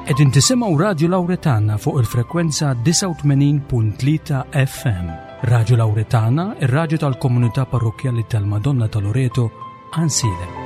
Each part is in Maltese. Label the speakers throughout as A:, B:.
A: Qegħdin tisimgħu Radju Lawretana fuq il-frekwenza 89.3 FM. Radju Lawretana, ir-radju tal-komunità parrokkjali tal-Madonna ta' Loreto, Ansiedem.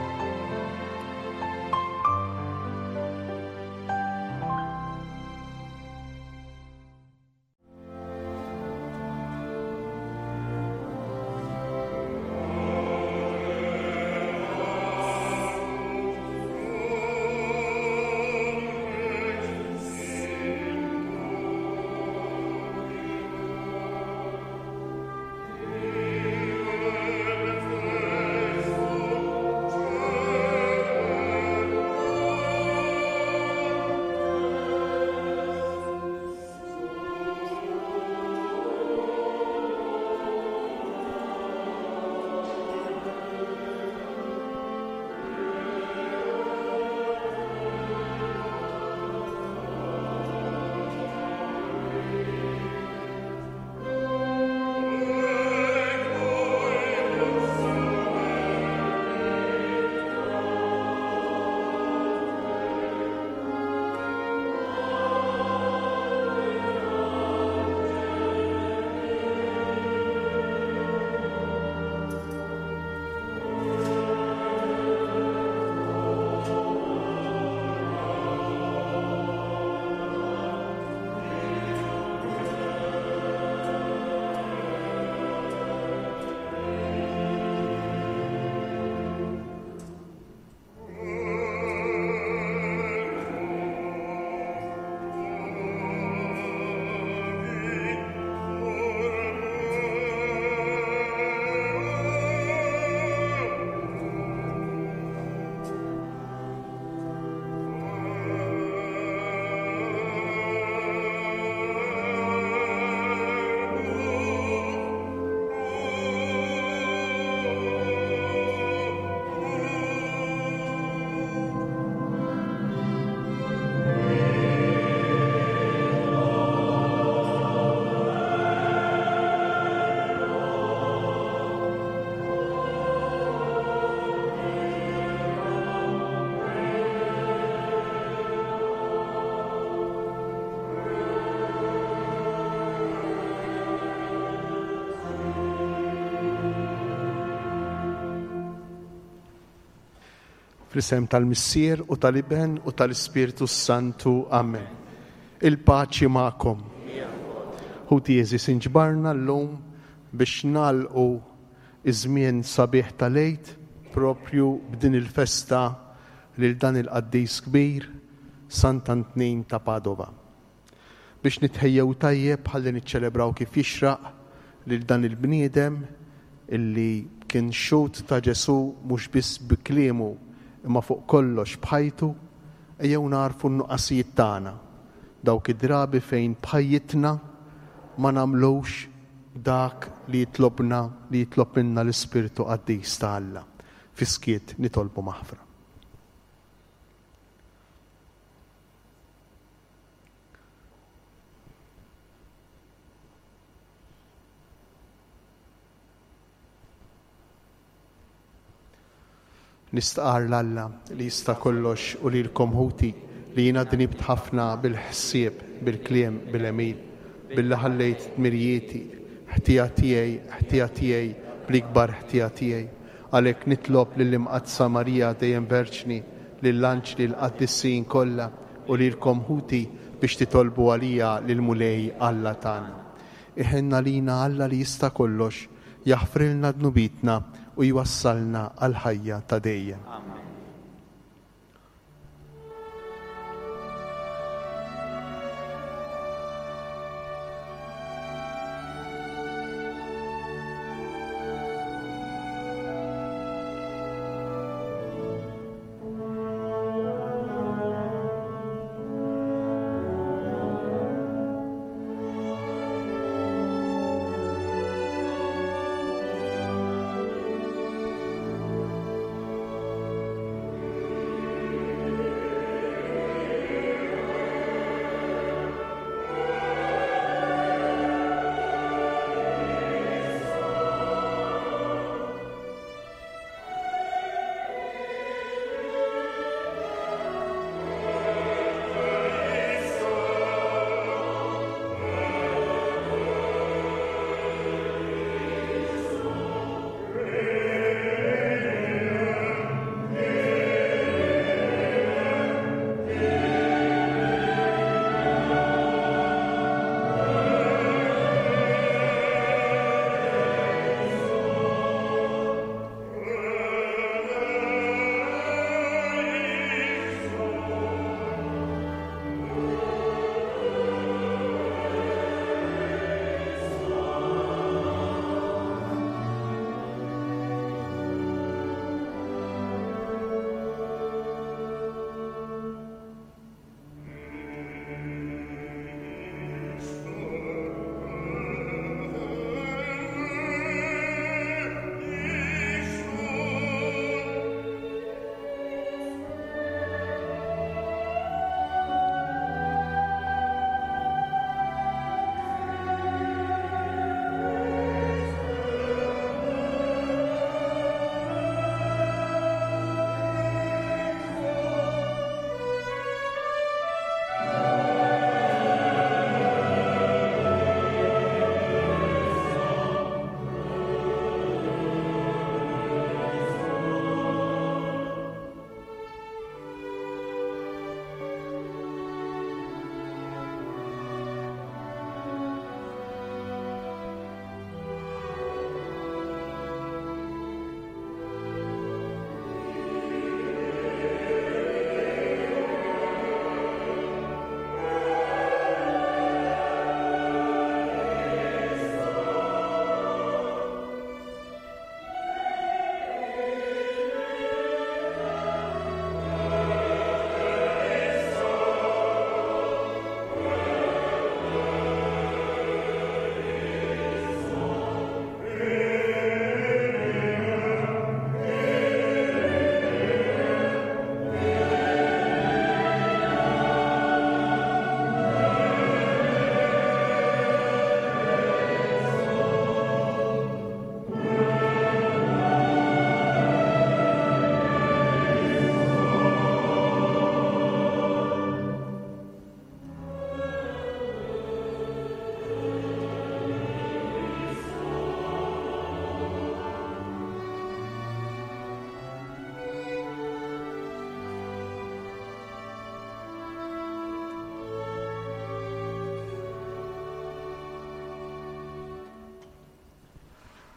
B: Fl-isem tal-Missier u tal-Iben u tal-Ispirtu s-Santu. Amen. Il-paċi magħkom. Ħuti għeżież inġbarna llum biex nagħlqu iż-żmien sabiħ tal-Għid propju b'din il-festa lil dan il-qaddis kbir, Sant'Antnin ta' Padova. Biex nitħejjew tajjeb ħalli niċċelebraw kif jixraq lil dan il-bniedem illi kien xhud ta' Ġesù mhux biss bi kliemu imma fuq kollox b'ħajtu, ejjew nagħrfu n-nuqqasijiet tagħna, dawk id-drabi fejn b'ħajjitna ma nagħmlux dak li jitlobna, li jitlob minna l-Ispirtu Qaddis ta' Alla. Fis-skiet nitolbu maħfra. Nistqarr 'l Alla li jista' kollox u lilkom ħuti li jiena dnibt ħafna bil-ħsieb, bil-kliem, bil-għemil, billi ħallejt dmirijieti, ħtija tiegħi, ħtija tiegħi, bl-ikbar ħtija tiegħi. Għalhekk nitlob lill-Imqaddsa Marija dejjem Verġni, lill-anġli, l-qaddisin kollha u lilkom ħuti biex titolbu għalija lill-Mulej Alla tagħna. Iħenn għalina Alla li jista' kollox, jaħfrilna dnubietna u jwassalna għall-ħajja ta' dejjem.
C: Amen.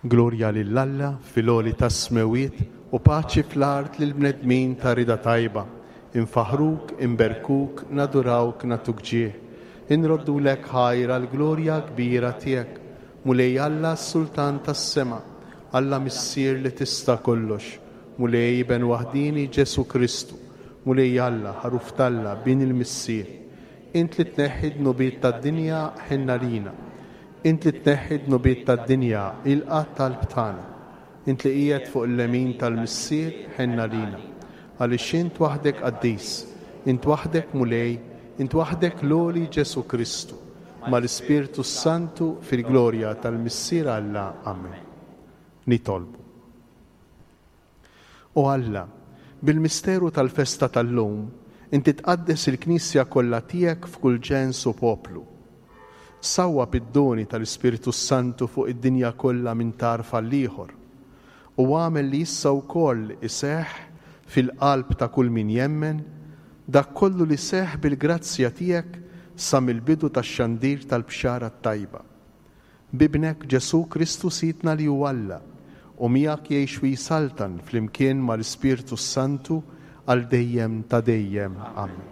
B: Glorja lil Alla fil-għoli tas-smewwiet u paċi fl-art lill-bnedmin ta' rieda tajba. Infaħħruk, inberkuk, nadurawk, nagħtuk ġieħ. Inroddulek ħajr għall-glorja kbira tiegħek, Mulej Alla s-Sultan tas-sema, Alla Missier li tista' kollox, Mulej Iben waħdieni Ġesù Kristu, Mulej Alla, Ħaruf t'Alla, Bin il-Missier. Int li tneħħi d-dnubiet tad-dinja, ħenn għalina. Int li tneħħi d-dnubiet tad-dinja, ilqa' t-talb tagħna. Int li qiegħed fuq il-lemin tal-Missier, ħenn għalina. Għaliex int waħdek qaddis, int waħdek Mulej, int waħdek l-għoli Ġesù Kristu, mal-Ispirtu s-Santu fil-glorja tal-Missier Alla. Amen. Nitolbu. O Alla, bil-misteru tal-festa tal-lum, inti tqaddes il-Knisja kollha tiegħek f'kull ġens u poplu. Sawwab id-doni tal-Ispirtu s-Santu fuq id-dinja kollha minn tarf għall-ieħor, u agħmel li issa wkoll iseħħ fil-qalb ta' kull min jemmen dak kollu li seħħ bil-grazzja tiegħek sa mill-bidu tax-xandir tal-Bxara t-Tajba. B'Ibnek Ġesù Kristu Sidna li hu Alla, u miegħek jgħix u jsaltan flimkien mal-Ispirtu s-Santu għal dejjem ta' dejjem. Amen.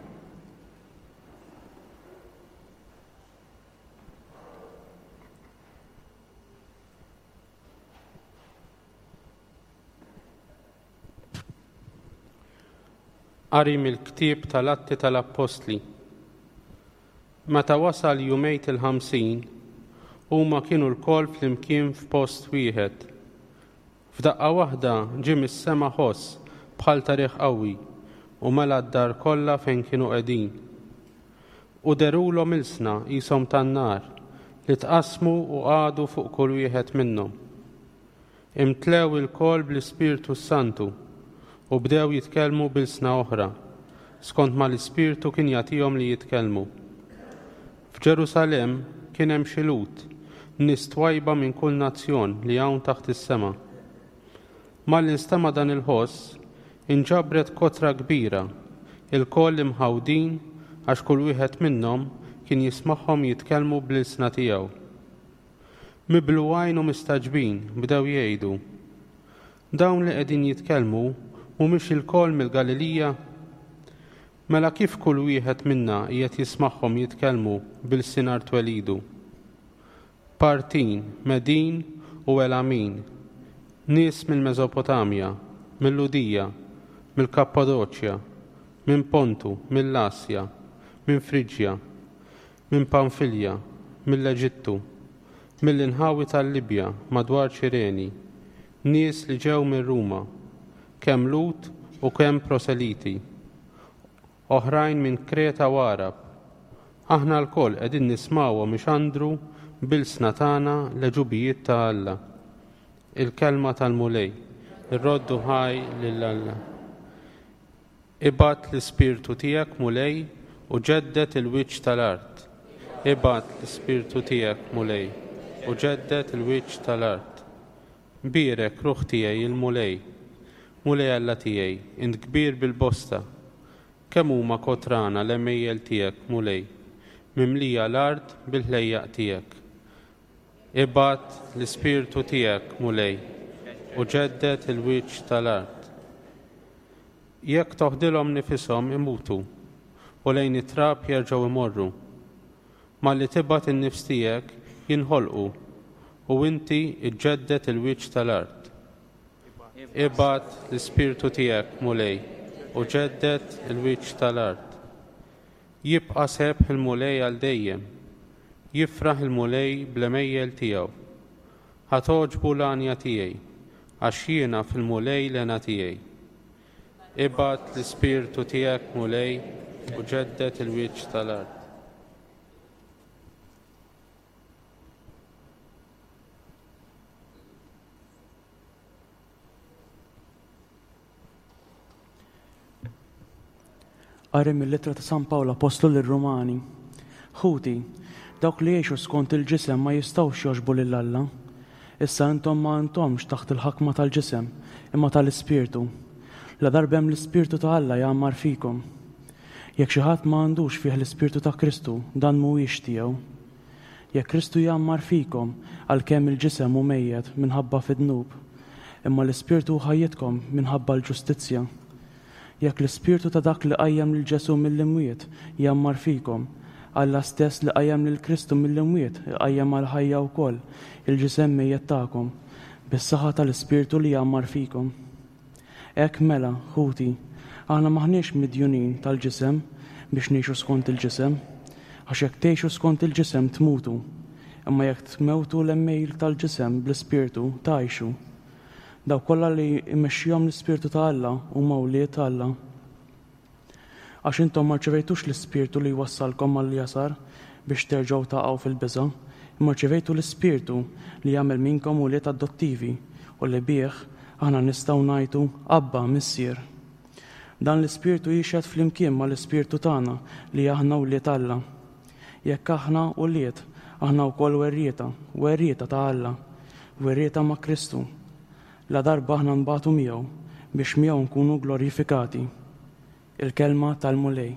C: Qari mill-Ktieb tal-Atti tal-Appostli. Meta wasal jumejt il-50, huma kienu lkoll flimkien f'post wieħed. F'daqqa waħda ġie mis-sema ħoss bħal ta' riħ qawwi u mela d-dar kollha fejn kienu qegħdin. U dherulhom ilsna qishom tan-nar li tqassmu u qagħdu fuq kull wieħed minnhom. Imtlew ilkoll bl-Ispirtu s-Santu u bdew jitkellmu b'ilsna oħra, skont ma l-Ispirtu kien jagħtihom li jitkellmu. F'Ġerusalemm kien hemm xi Lhud, nies twajba minn kull nazzjon li hawn taħt is-sema. Malli nstema' dan il-ħoss, inġabret kotra kbira, ilkoll imħawdin għax kull wieħed minnhom kien jismagħhom jitkellmu bl-ilsna tiegħu. Miblugħin u mistagħġbin, bdew jgħidu, Dawn li qegħdin jitkellmu mhumiex ilkoll mill-Galilija? Mela kif kull wieħed minna qiegħed jismagħhom jitkellmu b'ilsien art twelidu? Partin, Medin u Elamin, nies mill-Mesopotamja, mil-Lhudija, mill-Kappadoċja, minn Pontu, mill-Asja, minn Friġja, minn Pamfilja, mill-Eġittu, mill-inħawi tal-Libja madwar Ċireni, nies li ġew minn Ruma, kemm Lhud u kemm proseliti, oħrajn minn Kreta u Għarab. Aħna lkoll qegħdin nismgħuhom ixandru b'ilsna tagħna l-għeġubijiet ta' Alla. Il-Kelma tal-Mulej. Irroddu ħaj lil Alla. Ibgħat l-Ispirtu tiegħek, Mulej, u ġedded il-wiċċ tal-art. Ibgħat l-Ispirtu tiegħek, Mulej, u ġedded il-wiċċ tal-art. Bierek, ruħ tiegħi, il-Mulej. Mulej Alla tiegħi, int kbir bil-bosta. Kemm huma kotrana l-għemejjel tiegħek, Mulej, mimlija l-art bil-ħlejjaq tiegħek. Ibgħat l-Ispirtu tiegħek, Mulej, u ġedded il-wiċċ tal-art. Jekk toħdilhom nifishom imutu, u lejn it-trab jerġgħu jmorru. Malli tibgħat in-nifs tiegħek jinħolqu, u inti ġġedded il-wiċċ tal-art. Ibgħat l-Ispirtu tiegħek, Mulej, u ġedded il-wiċċ tal-art. Jibqa' sebħ il-Mulej għal dejjem, jifraħ il-Mulej bl-għemejjel tiegħu. Ħa togħġbu l-għanja tiegħi, għax jiena fil-Mulej l-hena tiegħi. Ibgħat l-Ispirtu tiegħek, Mulej, u ġedded il-wiċċ tal-art.
D: Qari mill-Ittra ta' San Pawl Appostlu lir-Rumani. Ħuti, dawk li jgħixu skont il-ġisem ma jistgħux jogħġbu lil Alla. Issa intom ma intomx taħt il-ħakma tal-ġisem, imma tal-Ispirtu. Ladarba hemm l-Ispirtu ta' Alla jgħammar fikom. Jekk xi ħadd ma għandux fih l-Ispirtu ta' Kristu, dan mhuwiex tiegħu. Jekk Kristu jgħammar fikom, għalkemm il-ġisem hu mejjet minħabba fid-dnub, imma l-ispirtu hu ħajjitkom minħabba l-ġustizzja. Jekk l-ispirtu ta' dak li qajjem lil Ġesù mill-imwiet jgħammar fikom, Alla stess li qajjem lil Kristu mill-imwiet iqajjem għall-ħajja wkoll il-ġisem mejjet tagħkom, bis-saħħa tal-ispirtu li jgħammar fikom. Hekk mela, ħuti, aħna m'aħniex midjunin tal-ġisem biex ngħixu skont il-ġisem. Għax jekk tgħixu skont il-ġisem tmutu, imma jekk tmewtu l-għemejl tal-ġisem bl-ispirtu, tgħixu. Dawk kollha li jmexxihom l-Ispirtu ta' Alla huma wlied Alla. Għax intom ma rċevejtux l-ispirtu li jwassalkom għall-jasar biex terġgħu taqgħu fil-biża', imma rċevejtu l-Ispirtu li jagħmel minnkom ulied adottivi u li bih aħna nistgħu ngħajtu, Abba, Missier. Dan l-Ispirtu jixhed flimkien mal-ispirtu tagħna li aħna wlied Alla. Jekk aħna ulied, aħna wkoll werrieta, werrieta ta' Alla, werrieta ma' Kristu, ladarba aħna nbatu miegħu, biex miegħu nkunu glorifikati. Il-Kelma tal-Mulej.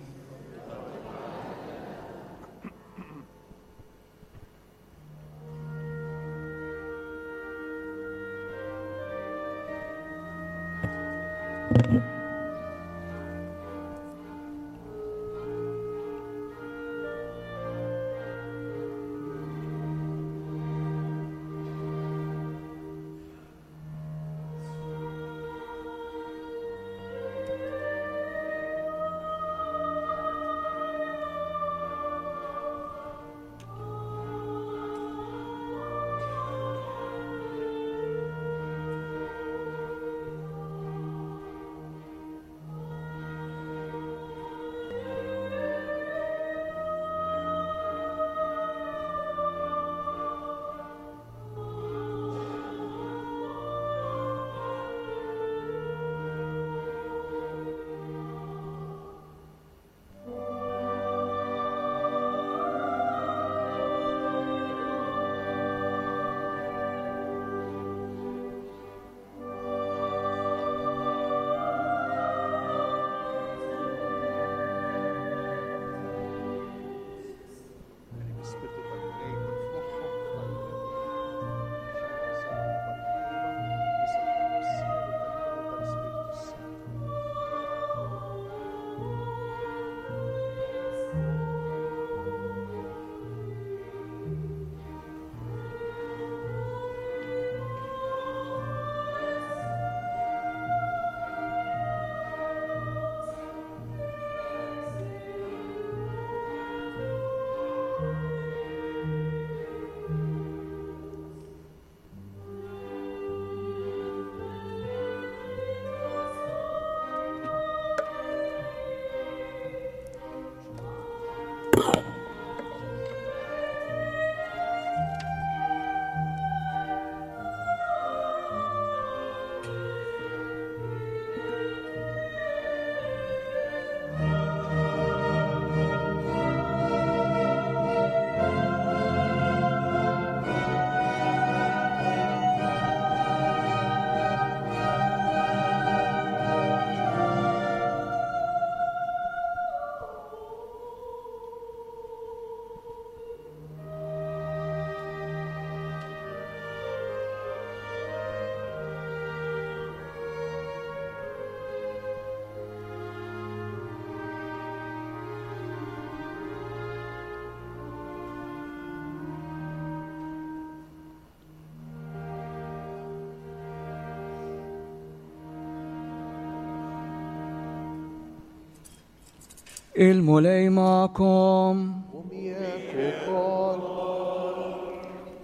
E: Il-Mulej magħkom.
B: U miegħek ukoll.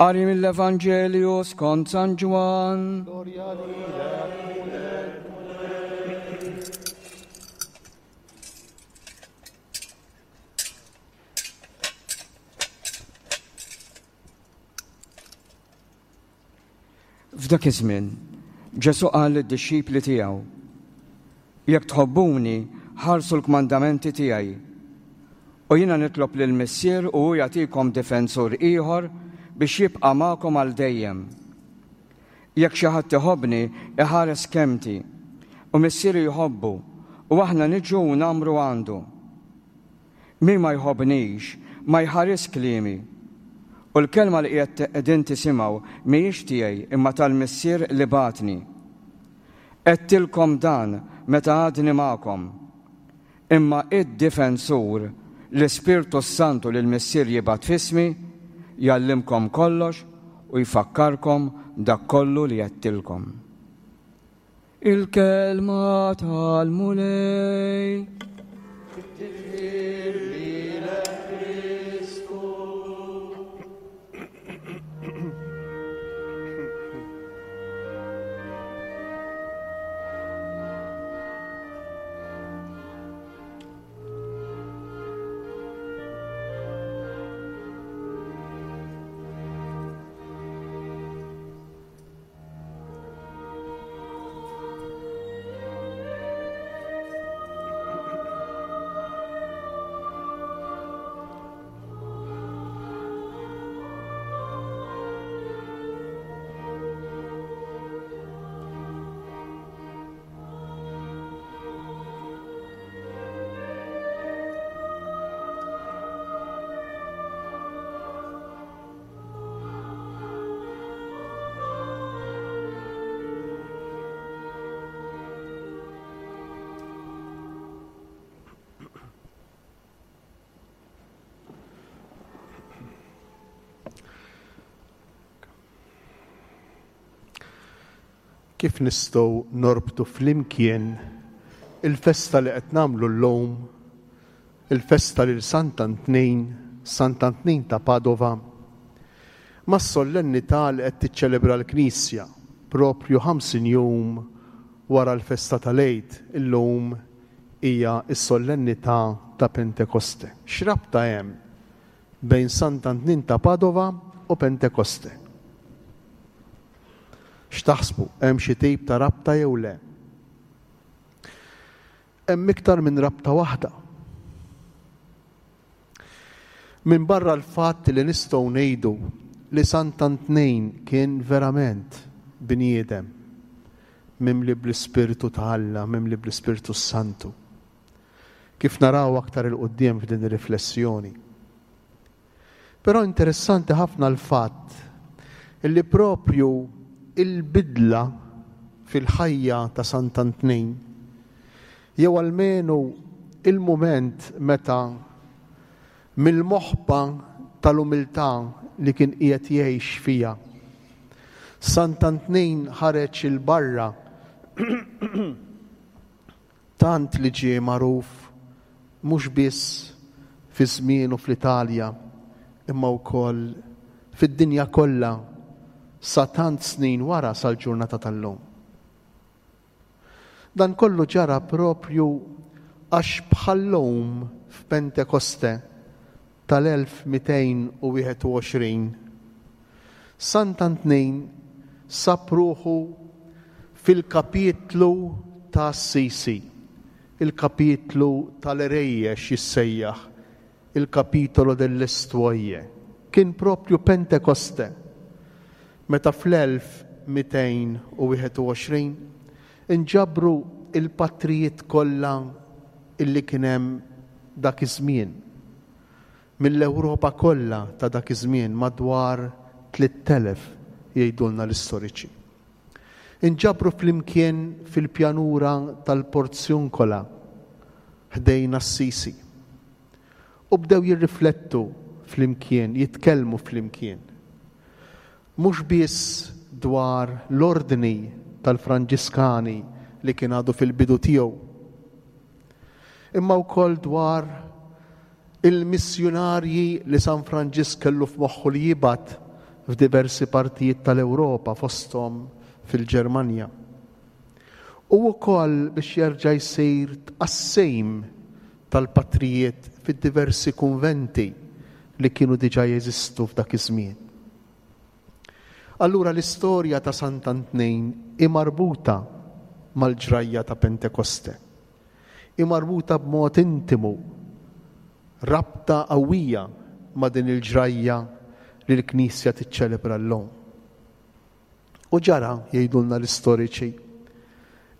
E: Qari mill-Evanġelju skont San Ġwann.
B: Glorja lilek, Mulej.
E: F'dak iż-żmien, Ġesù qal lid-dixxipli tiegħu, Jekk tħobbuni, ħarsu l-kmandamenti tiegħi. U jiena nitlob lill-Missier u hu jagħtikom difensur ieħor biex jibqa' magħkom għal dejjem. Jekk xi ħadd iħobbni, iħares kelmti, u Missieri jħobbu, u aħna niġu u ngħammru għandu. Min ma jħobbnix, ma jħarisx kliemi. U l-kelma li qiegħed qegħdin tisimgħu mhijiex tiegħi imma tal-Missier li bagħatni. Għedtilkom dan meta għadni magħkom. Imma id-Difensur, l-Ispirtu s-Santu li l-Missier jibgħat f'ismi, jgħallimkom kollox u jfakkarkom dak kollu li għedtilkom. Il-kelma tal-Mulej.
B: Tifħir lilek Kristu. Kif nistgħu norbtu flimkien il-festa li qed nagħmlu llum, il-festa lil Sant'Antnin, Sant'Antnin ta' Padova, mas-sollennità li qed tiċċelebra l-Knisja proprju 50 jum wara l-festa tal-Għid, illum hija s-sollennità ta' Pentekoste. X'rabta hemm bejn Sant'Antnin ta' Padova u Pentekoste? X'taħsbu, hemm xi tip ta' rabta jew le? Hemm iktar minn rabta waħda. Minbarra l-fatt li nistgħu ngħidu li Sant'Antnin kien verament bniedem mimli bl-Ispirtu ta' Alla, mimli bl-Ispirtu s-Santu. Kif naraw aktar 'il quddiem f'din ir-riflessjoni. Però interessanti ħafna l-fatt li proprju il-bidla fil-ħajja ta' Sant'Antnin, jew almenu il-mument meta mill-moħba tal-umiltà li kien qiegħed jgħix fiha, Sant'Antnin ħareġ 'il barra tant li ġie magħruf mhux biss fi żmienu fl-Italja imma wkoll fid-dinja kollha sa tant snin wara sal-ġurnata tal-lum. Dan kollu ġara proprju għax bħal-lum f'Pentekoste tal-1221, Sant'Antnin sab ruħu fil-kapitlu ta' Assisi, il-kapitlu tal-għerejjex jissejjaħ il-Capitolo delle Stuoie. Kien proprju Pentekoste meta fl-1221 inġabru l-patrijiet kollha illi kien hemm dak iż-żmien, mill-Ewropa kollha ta' dak iż-żmien, madwar 3,000 jgħidulna l-istoriċi. Inġabru flimkien fil-pjanura tal-Porziuncola ħdejn Assisi u bdew jirriflettu flimkien, jitkellmu flimkien. Mhux biss dwar l-Ordni tal-Franġiskani li kien għadu fil-bidu tiegħu, imma wkoll dwar il-missjunarji li San Franġisk kellu f'moħħu li jibgħat f'diversi partijiet tal-Ewropa fosthom fil-Ġermanja. U wkoll biex jerġa' jsir tqassim tal-patrijiet fid-diversi kunventi li kienu diġà jeżistu f'dak iż-żmien. Allura l-istorja ta' Sant'Antnin hi marbuta mal-ġrajja ta' Pentekoste. Hi marbuta b'mod intimu, rabta qawwija ma' din il-ġrajja li l-Knisja tiċċelebra llum. U ġara, jgħidulna l-istoriċi,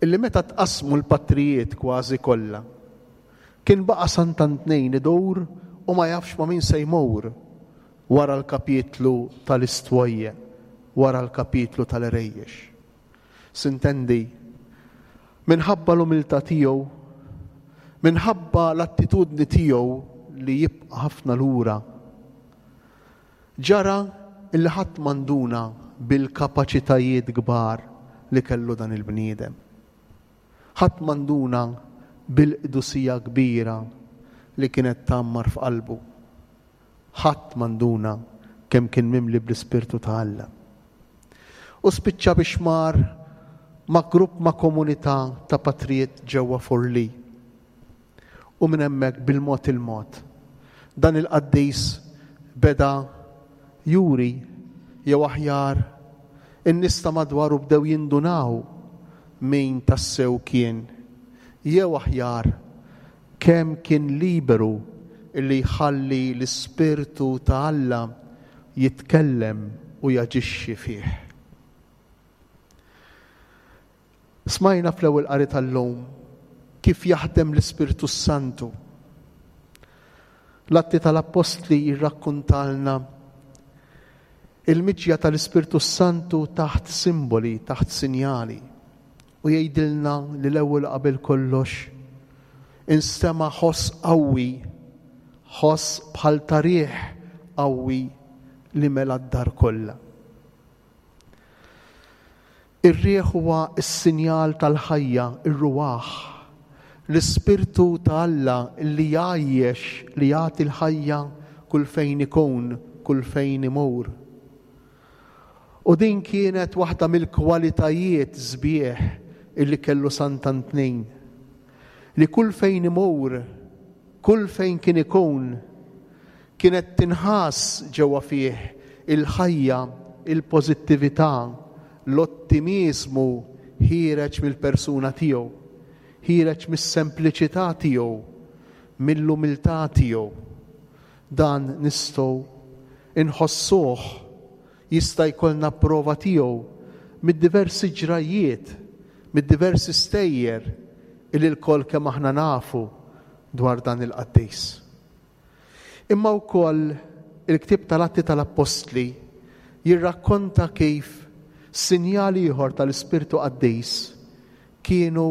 B: illi meta tqassmu l-patrijiet kważi kollha, kien baqa' Sant'Antnin idur u ma jafx ma' min se jmur. Wara l-kapitlu tal-istwojje, wara l-kapitlu tal-għerejjex. Sintendi, minħabba l-umiltà tiegħu, minħabba l-attitudni tiegħu li jibqa' ħafna lura, ġara illi ħadd ma nduna bil-kapaċitajiet kbar li kellu dan il-bniedem. Ħadd ma nduna bil-qdusija kbira li kienet tgħammar f'qalbu. Ħadd ma nduna kemm kien mimli bl-Ispirtu ta' Alla. U spiċċa biex mar ma' grupp ma' komunità ta' patrijiet ġewwa Forlì. U minn hemmhekk bil-mod il-mod dan il-qaddis beda juri jew aħjar in-nies ta' madwaru bdew jindunaw min tassew kien jew aħjar Kemm kien liberu li jħalli l-Ispirtu ta' Alla jitkellem u jaġixxi fih. Smajna fl-ewwel qari tal-lum kif jaħdem l-Ispirtu s-Santu. L-Atti tal-Appostli jirrakkuntalna il-miġja tal-Ispirtu s-Santu taħt simboli, taħt sinjali. U jgħidilna li l-ewwel u qabel kollox instema' ħoss qawwi, ħoss bħal ta' riħ qawwi li mela d-dar kollha. Ir-riħ huwa s-sinjal tal-ħajja, ir-ruwaħ, l-Ispirtu ta' Alla li jgħajjex, li jagħti l-ħajja kull fejn ikun, kull fejn imur. U din kienet waħda mill-kwalitajiet sbieħ illi kellu Sant'Antnin, li kull fejn imur, kull fejn kien ikun, kienet tinħass ġewwa fih il-ħajja, il-pożittività, l-ottimiżmu ħiereġ mill-persuna tiegħu, ħiereġ mis-sempliċità tiegħu, mill-umiltà tiegħu. Dan nistgħu inħossuh, jista' jkollna prova tiegħu mid-diversi ġrajjiet, mid-diversi stejjer illi lkoll kemm aħna nafu dwar dan il-qaddis. Imma wkoll il-ktieb tal-Atti tal-Appostli jirrakkonta kif sinjal ieħor tal-Ispirtu Qaddis Kienu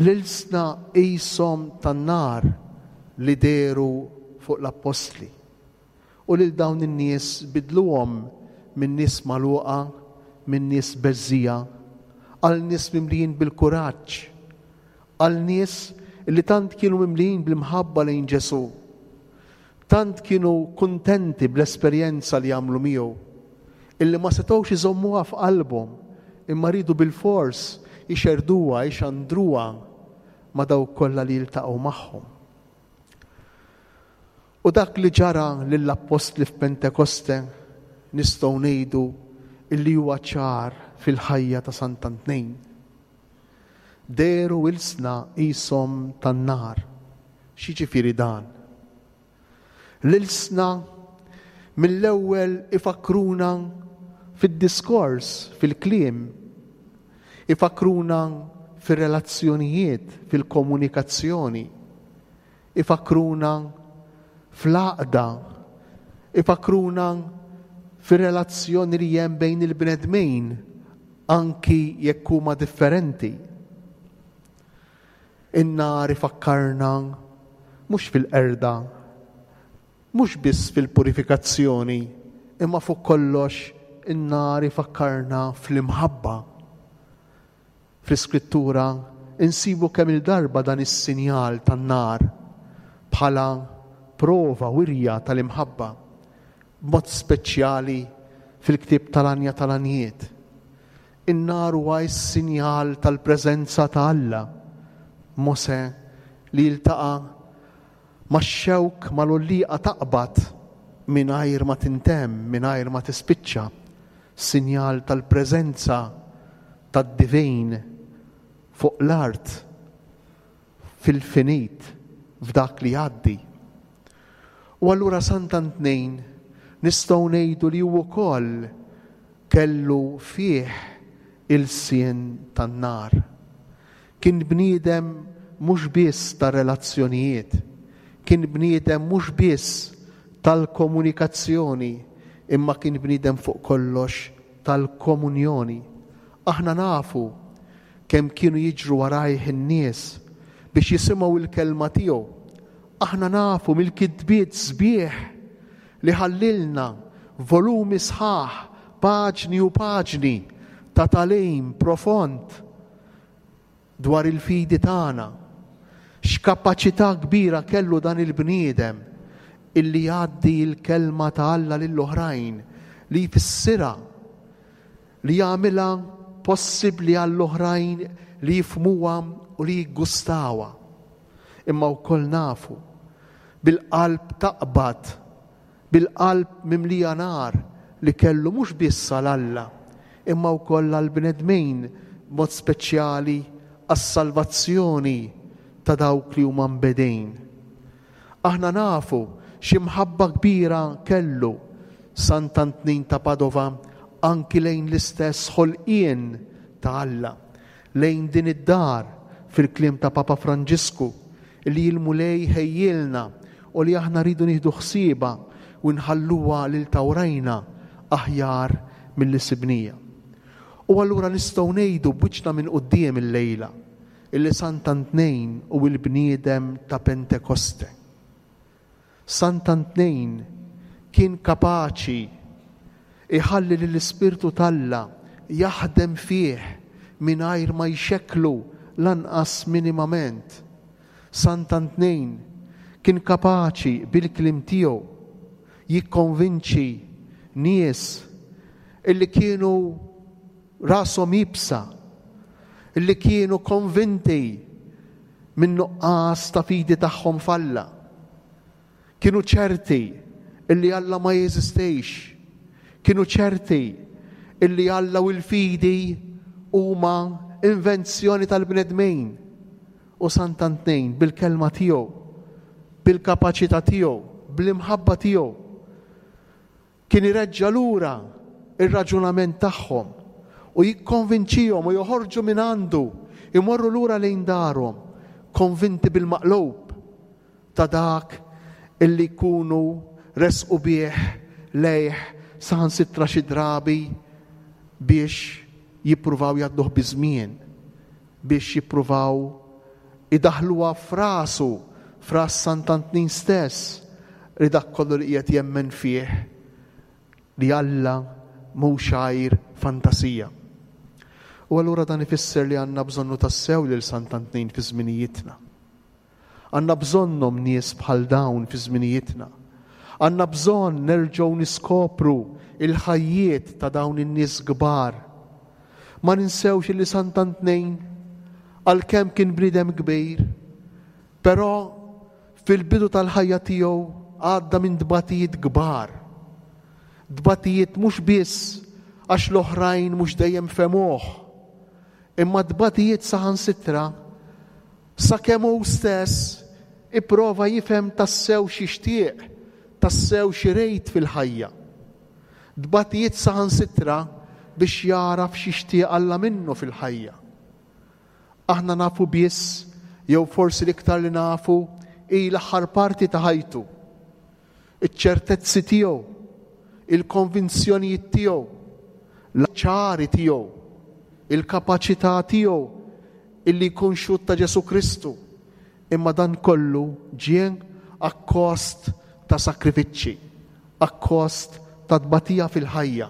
B: l-ilsna qishom tan-nar li dehru fuq l-appostli, u lil dawn in-nies bidluhom minn nies magħluqa, minn nies beżżiegħa, għal nies mimlijin bil-kuraġġ, għal nies li tant kienu mimlijin bl-imħabba lejn Ġesù, tant kienu kuntenti bl-esperjenza li għamlu miegħu, illi ma setgħux iżommuha f'qalbhom, imma riedu bilfors ixerrduha, ixandruha ma' dawk kollha li jiltaqgħu magħhom. U dak li ġara lill-appostli f'Pentekoste nistgħu ngħidu illi huwa ċar fil-ħajja ta' Sant'Antnin. Dehru ilsna qishom tan-nar. X'jiġifieri dan? L-ilsna mill-ewwel ifakkruna fid-diskors, fil-kliem. Ifakkruna fir-relazzjonijiet, fil-komunikazzjoni. Ifakkruna fl-għaqda. Ifakkruna fir-relazzjoni li hemm bejn il-bnedmin anki jekk huma differenti. In-nar ifakkarna mhux fil-qerda, mhux biss fil-purifikazzjoni, imma fuq kollox in-nar ifakkarna fl-imħabba. Fl-Iskrittura insibu kemm-il darba dan is-sinjal tan-nar bħala prova, wirja tal-imħabba, b'mod speċjali fil-ktieb tal-Għanja tal-Għanjiet. In-nar huwa s-sinjal tal-preżenza ta' Alla. Mosè li jiltaqa' max-xewk mal-għollieqa taqbad mingħajr ma tintemm, mingħajr ma tispiċċa, sinjal tal-preżenza tad-divin fuq l-art fil-finit, f'dak li jgħaddi. U allura Sant'Antnin nistgħu ngħidu li hu wkoll kellu fih ilsien tan-nar. Kien bniedem mhux biss ta' relazzjonijiet, kien bniedem mhux biss tal-komunikazzjoni, imma kien bniedem fuq kollox tal-komunjoni. Aħna nafu kemm kienu jiġru warajh in-nies biex jisimgħu l-kelma tiegħu. Aħna nafu mill-kitbiet sbieħ li ħallilna volumi sħaħ, paġni u paġni ta' tagħlim profond dwar il-fidi tagħna. X'kapaċità kbira kellu dan il-bniedem illi jgħaddi l-kelma ta' Alla lill-oħrajn, li jfissirha, li jagħmilha possibbli għall-oħrajn li jifhmuha u li jiggustawha. Imma wkoll nafu bil-qalb taqbad, bil-qalb mimlija nar li kellu mhux biss għal Alla, imma wkoll għall-bnedmin, b'mod speċjali għas-salvazzjoni ta' dawk li huma mbegħdin. Aħna nafu xi mħabba kbira kellu Sant'Antnin ta' Padova anki lejn l-istess ħolqien ta' Alla, lejn din id-dar, fil-kliem ta' Papa Franġisku, li l-Mulej ħejjielna u li aħna rridu nieħdu ħsiebha u nħalluha lil ta' warajna aħjar milli sibnija. U allura nistgħu ngħidu b'wiċċna minn quddiem illejla illi Sant'Antnejn hu l-bniedem ta' Pentekoste. Sant'Antnejn kien kapaċi jħalli lill-Ispirtu t'Alla jaħdem fih mingħajr ma jxekklu lanqas minimament. Sant'Antnejn kien kapaċi bil-kliem tiegħu jikkonvinċi nies illi kienu rashom iebsa, illi kienu konvinti min-nuqqas ta' fidi tagħhom f'Alla. Kienu ċerti illi Alla ma jeżistix. Kienu ċerti illi Alla u l-fidi huma invenzjoni tal-bnedmin. U Sant'Antnejn bil-kelma tiegħu, bil-kapaċità tiegħu, bl-imħabba tiegħu, Kien ireġġa' lura r-raġunament tagħhom u jikkonvinċihom u joħorġu minn għandu, imorru lura lejn darhom, konvinti bil-maqlub ta' dak illi jkunu resqu bih lejh saħansitra xi drabi biex jippruvaw jgħadduh biż-żmien, biex jippruvaw idaħħluha f'rasu, f'ras Sant'Antnin stess, li dak kollu li qiegħed jemmen fih li Alla mhux għajr fantasija. U allura dan ifisser li għandna bżonnu tassew lil Sant'Antnin fi żminijietna. Għandna bżonnhom nies bħal dawn fi żminijietna. Għandna bżonn nerġgħu niskopru il-ħajjiet ta' dawn in-nies kbar. Ma ninsewx li Sant'Antnejn għalkemm kien bniedem kbir, però fil-bidu tal-ħajja tiegħu għadda minn tbatijiet kbar. Tbatijiet mhux biss għax l-oħrajn mhux dejjem fehmuh, imma tbatijiet saħansitra Sakemm hu stess ipprova jifhem tassew x'jixtieq, tassew x'irid fil-ħajja. Tbatijiet saħansitra biex jagħraf x'jixtieq Alla minnu fil-ħajja. Aħna nafu biss, jew forsi l-iktar li nafu, hi l-aħħar parti ta' ħajtu. Iċ-ċertezzi tiegħu, il-konvinzjonijiet tiegħu, l-ċari tiegħu, il-kapaċità tiegħu illi jkun xhud ta' Ġesù Kristu, imma dan kollu ġie akkost ta' sakrifiċċji, akkost ta' tbatija fil-ħajja,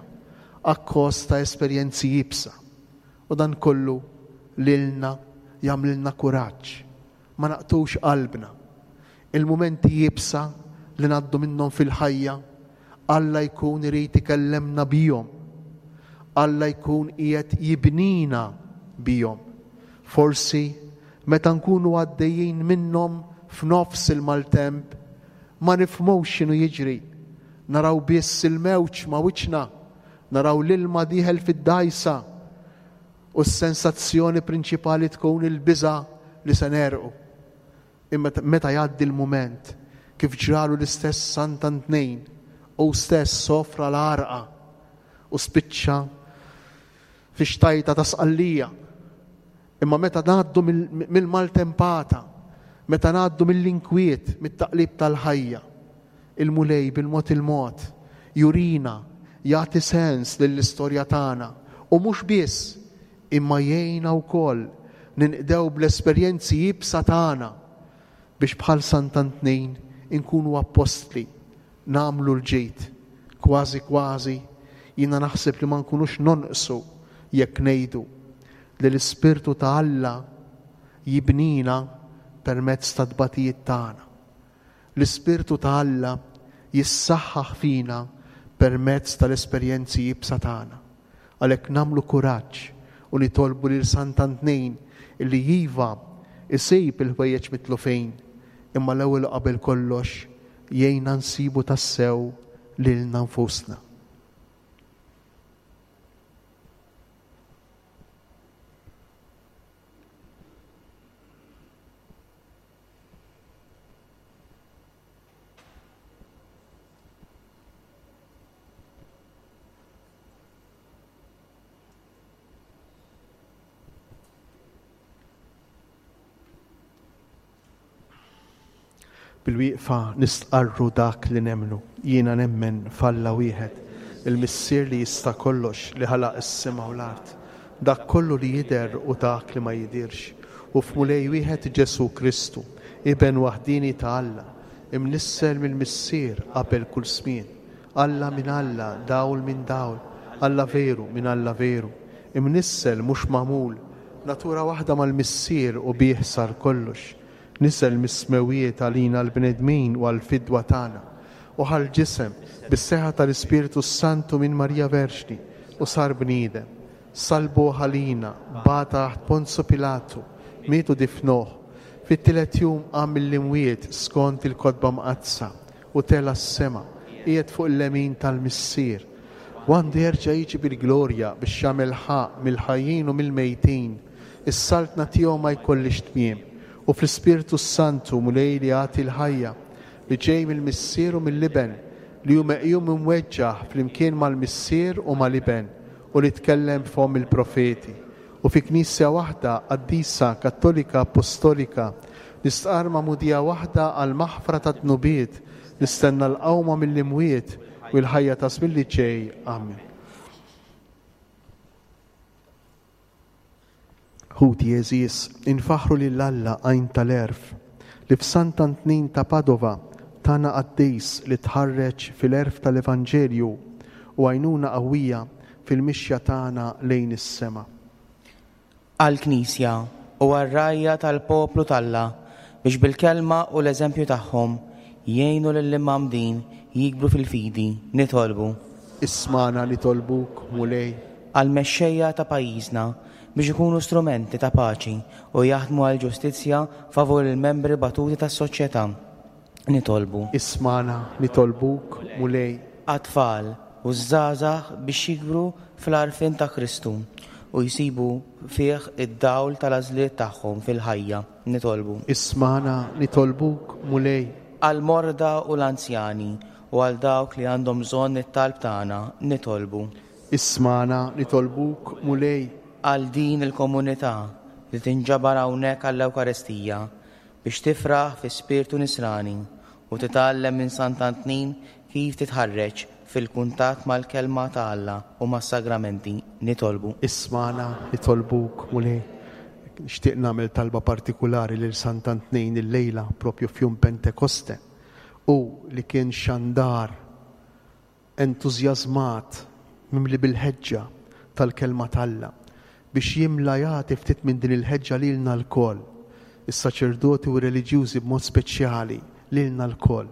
B: akkost ta' esperjenzi iebsa. U dan kollu lilna jagħmlilna kuraġġ. Ma naqtgħux qalbna. Il-mumenti iebsa li ngħaddu minnhom fil-ħajja, Alla jkun irid ikellemna bihom. Alla jkun qiegħed jibnina bihom. Forsi meta nkunu għaddejjin minnhom f'nofs il-maltemp, ma nifhmux x'inhu jiġri. Naraw biss il-mewġ ma' wiċċna, naraw l-ilma dieħel fid-dgħajsa, U s-sensazzjoni prinċipali tkun il-biża' li se negħrqu. Imma meta jgħaddi l-mument, kif ġralu l-istess Sant'Antnejn, hu stess sofra l-għarqa u spiċċa fi xtajta ta' Sqallija. Imma meta ngħaddu mill-maltempata, meta ngħaddu mill-inkwiet, mit-taqlib tal-ħajja, Il-Mulej bil-mod il-mod jurina, jagħti sens lill-istorja tagħna u mhux biss imma jgħinna wkoll ninqdew bl-esperjenzi iebsa tagħna biex bħal Sant'Antnin inkunu appostli, nagħmlu l-ġid. Kważi kważi jiena naħseb li ma nkunux nonqsu jekk ngħidu li l-Ispirtu ta' Alla jibnina permezz tat-tbatijiet tagħna. L-Ispirtu ta' Alla jissaħħaħ fina permezz tal-esperjenzi iebsa tagħna. Għalhekk nagħmlu kuraġġ u nitolbu lil Sant'Antnin illi iva isib il-ħwejjeġ mitlufin, imma l-ewwel u qabel kollox jgħinna nsibu tassew lilna nfusna. Bil-wieqfa nistqarru dak li nemmnu. Jiena nemmen f'Alla wieħed, il-Missier li jista' kollox, li ħalaq is-sema u l-art, dak kollu li jidher u dak li ma jidhirx, u f'Mulej wieħed Ġesù Kristu, Iben waħdieni ta' Alla, imnissel mill-Missier qabel kull żmien, Alla minn Alla, dawl minn dawl, Alla veru minn Alla veru, imnissel mhux magħmul, natura waħda mal-Missier u bih sar kollox, niżel mis-smewwiet għalina l-bnedmin u għall-fidwa tagħna, u ħa l-ġisem, bis-seħħa tal-Ispirtu s-Santu minn Marija Verġni, u sar bniedem. Sallbuh għalina, bagħat taħt Ponzu Pilatu, miet u difnuh. Fit-tielet jum qam mill-imwiet skont il-Kotba Mqaddsa, u tela' s-sema, qiegħed fuq il-lemin tal-Missier. U għandu jerġa' jiġi bil-glorja biex jagħmel ħaqq mill-ħajjin u mill-mejtin. Is-saltna tiegħu ma jkollhiex tmiem. U fl-Ispirtu s-Santu, Mulej li jagħti l-ħajja, li ġej mill-Missier u mill-Iben, li hu meqjum imweġġaħ flimkien mal-Missier u mal-Iben, u li tkellem b'fomm il-profeti. U fi Knisja waħda, qaddisa, kattolika, appostolika, nistqarr magħmudija waħda għall-maħfra tad-dnubiet, nistenna l-qawma mill-imwiet u l-ħajja ta' żmien li ġej. Amen. Ħuti għeżież, infaħħru lil Alla għajn tal-għerf, li f'Sant'Antnin ta' Padova tana qaddis li tħarreġ fil-għerf tal-Evanġelju u għajnuna qawwija fil-mixja tagħna lejn is-sema.
F: Għall-Knisja u għar-rgħajja tal-poplu t'Alla biex bil-kelma u l-eżempju tagħhom jgħinu lill-imgħammdin jikbru fil-fidi, nitolbu.
B: Ismagħna nitolbuk, Mulej.
F: Għall-mexxejja ta' pajjiżna biex ikunu strumenti ta' paċi u jaħdmu għall-ġustizzja favur il-membri batuti tas-soċjetà, nitolbu.
B: Ismagħna nitolbuk, Mulej.
F: Għat-tfal u ż-żgħażagħ biex jikbru fl-għarfien ta' Kristu u jsibu fih id-dawl tal-għażliet tagħhom fil-ħajja, nitolbu.
B: Ismagħna nitolbuk, Mulej.
F: Għall-morda u l-anzjani u għal dawk li għandhom bżonn it-talb tagħna, nitolbu.
B: Ismagħna nitolbuk, Mulej.
F: Għal din il-komunità li tinġabar hawnhekk għall-Ewkaristija biex tifraħ fi spirtu nisrani u titgħallem minn Sant'Antnin kif titħarreġ fil-kuntatt mal-Kelma ta' Alla u mas-sagramenti, nitolbu.
B: Ismagħna nitolbuk, Mulej. Nixtieq nagħmel talba partikulari lil Sant'Antnin illejla, propju f'jum Pentekoste. Hu li kien xandar entużjażmat, mimli bil-ħeġġa tal-Kelma t'Alla, biex jimla jagħti ftit minn din il-ħeġġa lilna lkoll, is-saċerdoti u r-reliġjużi b'mod speċjali, lilna lkoll,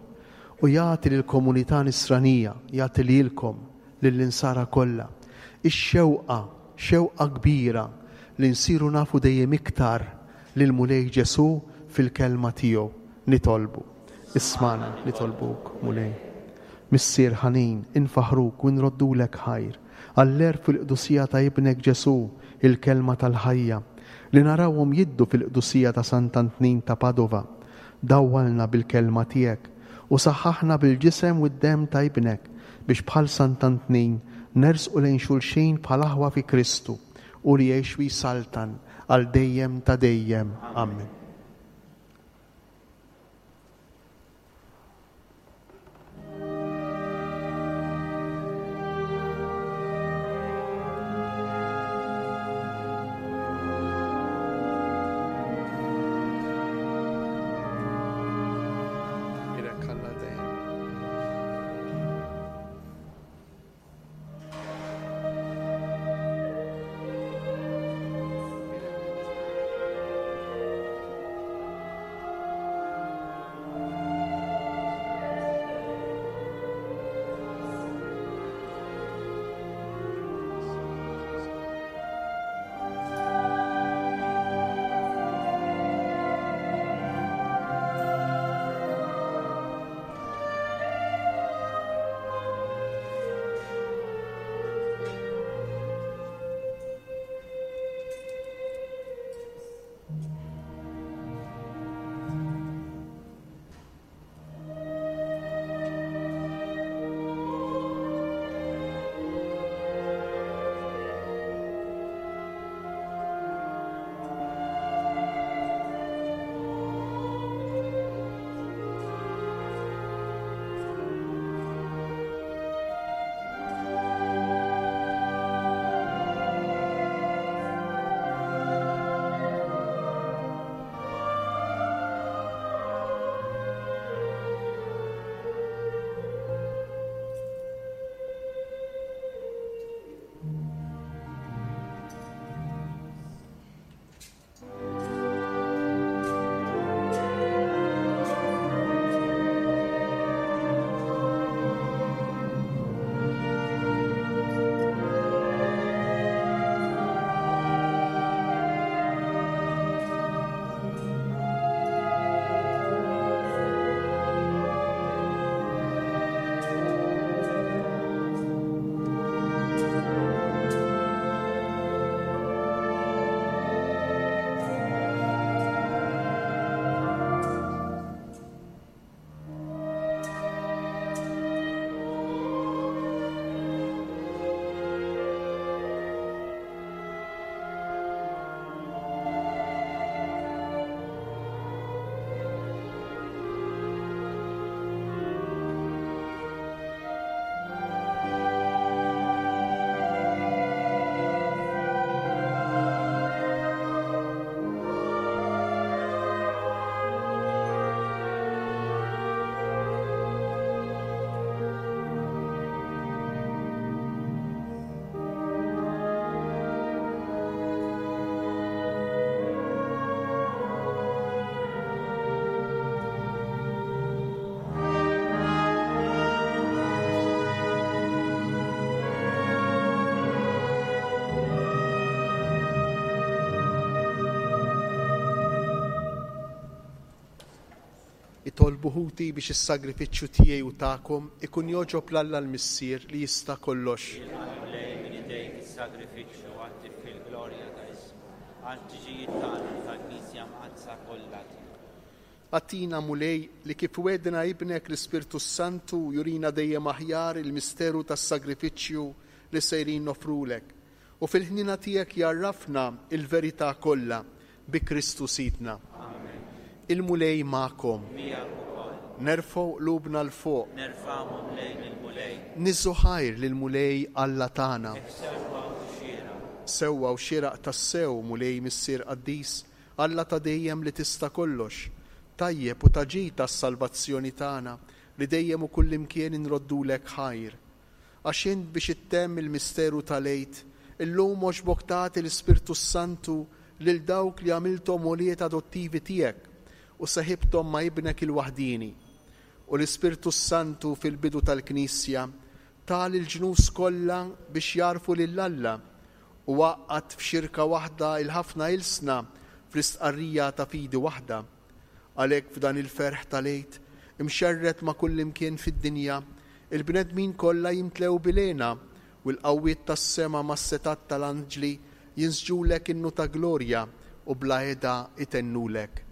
B: u jagħti lill-komunità nisranija, jagħti lilkom, lill-insara kollha, ix-xewqa, xewqa kbira li nsiru nafu dejjem iktar lill-Mulej Ġesù fil-Kelma tiegħu. Nitolbu. Ismagħna, nitolbuk, Mulej. Missier ħanin, infaħħruk u nroddulek ħajr għall-għerf u l-qdusija ta' Ibnek Ġesù, il-Kelma tal-ħajja, li narawhom jiddu fil-qdusija ta' Sant'Antnin ta' Padova. Dawwalna bil-Kelma tiegħek u saħħaħna bil-Ġisem u d-Demm ta' Ibnek biex bħal Sant'Antnin nersqu lejn xulxin bħal aħwa fi Kristu, hu li jgħix u jsaltan għal dejjem ta' dejjem. Amen. Itolbu ħuti biex is-sagrifiċċju tiegħi u tagħkom ikun jogħġob 'l Alla l-Missier li jista' kollox.
G: Jilqa' l-Mulej minn idejk is-sagrifiċċju għat-tifħir glorja ta' ismu, għall-ħtiġijiet tagħna u tal-Knisja Mqaddsa kollha tiegħu.
B: Agħtina, Mulej, li kif wegħdna Ibnek l-Ispirtu s-Santu jurina dejjem aħjar il-misteru tas-sagrifiċċju li sejrin noffrulek, u fil-ħniena tiegħek jgħarrafna l-verità kollha, bi Kristu Sidna.
G: Amen.
B: Il-Mulej magħkom.
G: Miegħek ukoll.
B: Nerfgħu qlubna 'l fuq.
G: Nerfgħuhom lejn il-Mulej.
B: Niżżu ħajr lill-Mulej Alla tagħna.
G: Hekk sewwa u xieraq.
B: Sewwa u xieraq tassew, Mulej Missier qaddis, Alla ta' dejjem li tista' kollox, tajjeb u ta' ġid għas-salvazzjoni tagħna li dejjem u kullimkien inroddulek ħajr. Għax int biex ittemm il-misteru tal-Għid, illum għoġbok tagħti l-Ispirtu s-Santu lil dawk li għamilthom ulied adottivi tiegħek u seħibthom ma' Ibnek il-waħdieni. U l-Ispirtu s-Santu fil-bidu tal-Knisja ta lill-ġnus kollha biex jagħrfu lil Alla u għaqqad f'xirka waħda il-ħafna ilsna fl-istqarrija ta' fidi waħda. Għalhekk f'dan il-ferħ tal-Għid, imxerred ma' kullimkien fid-dinja, il-bnedmin kollha jimtlew bil-hena, u l-qawwiet tas-sema mas-setgħat tal-anġli jinsġulek innu ta' glorja u bla heda jtennulek.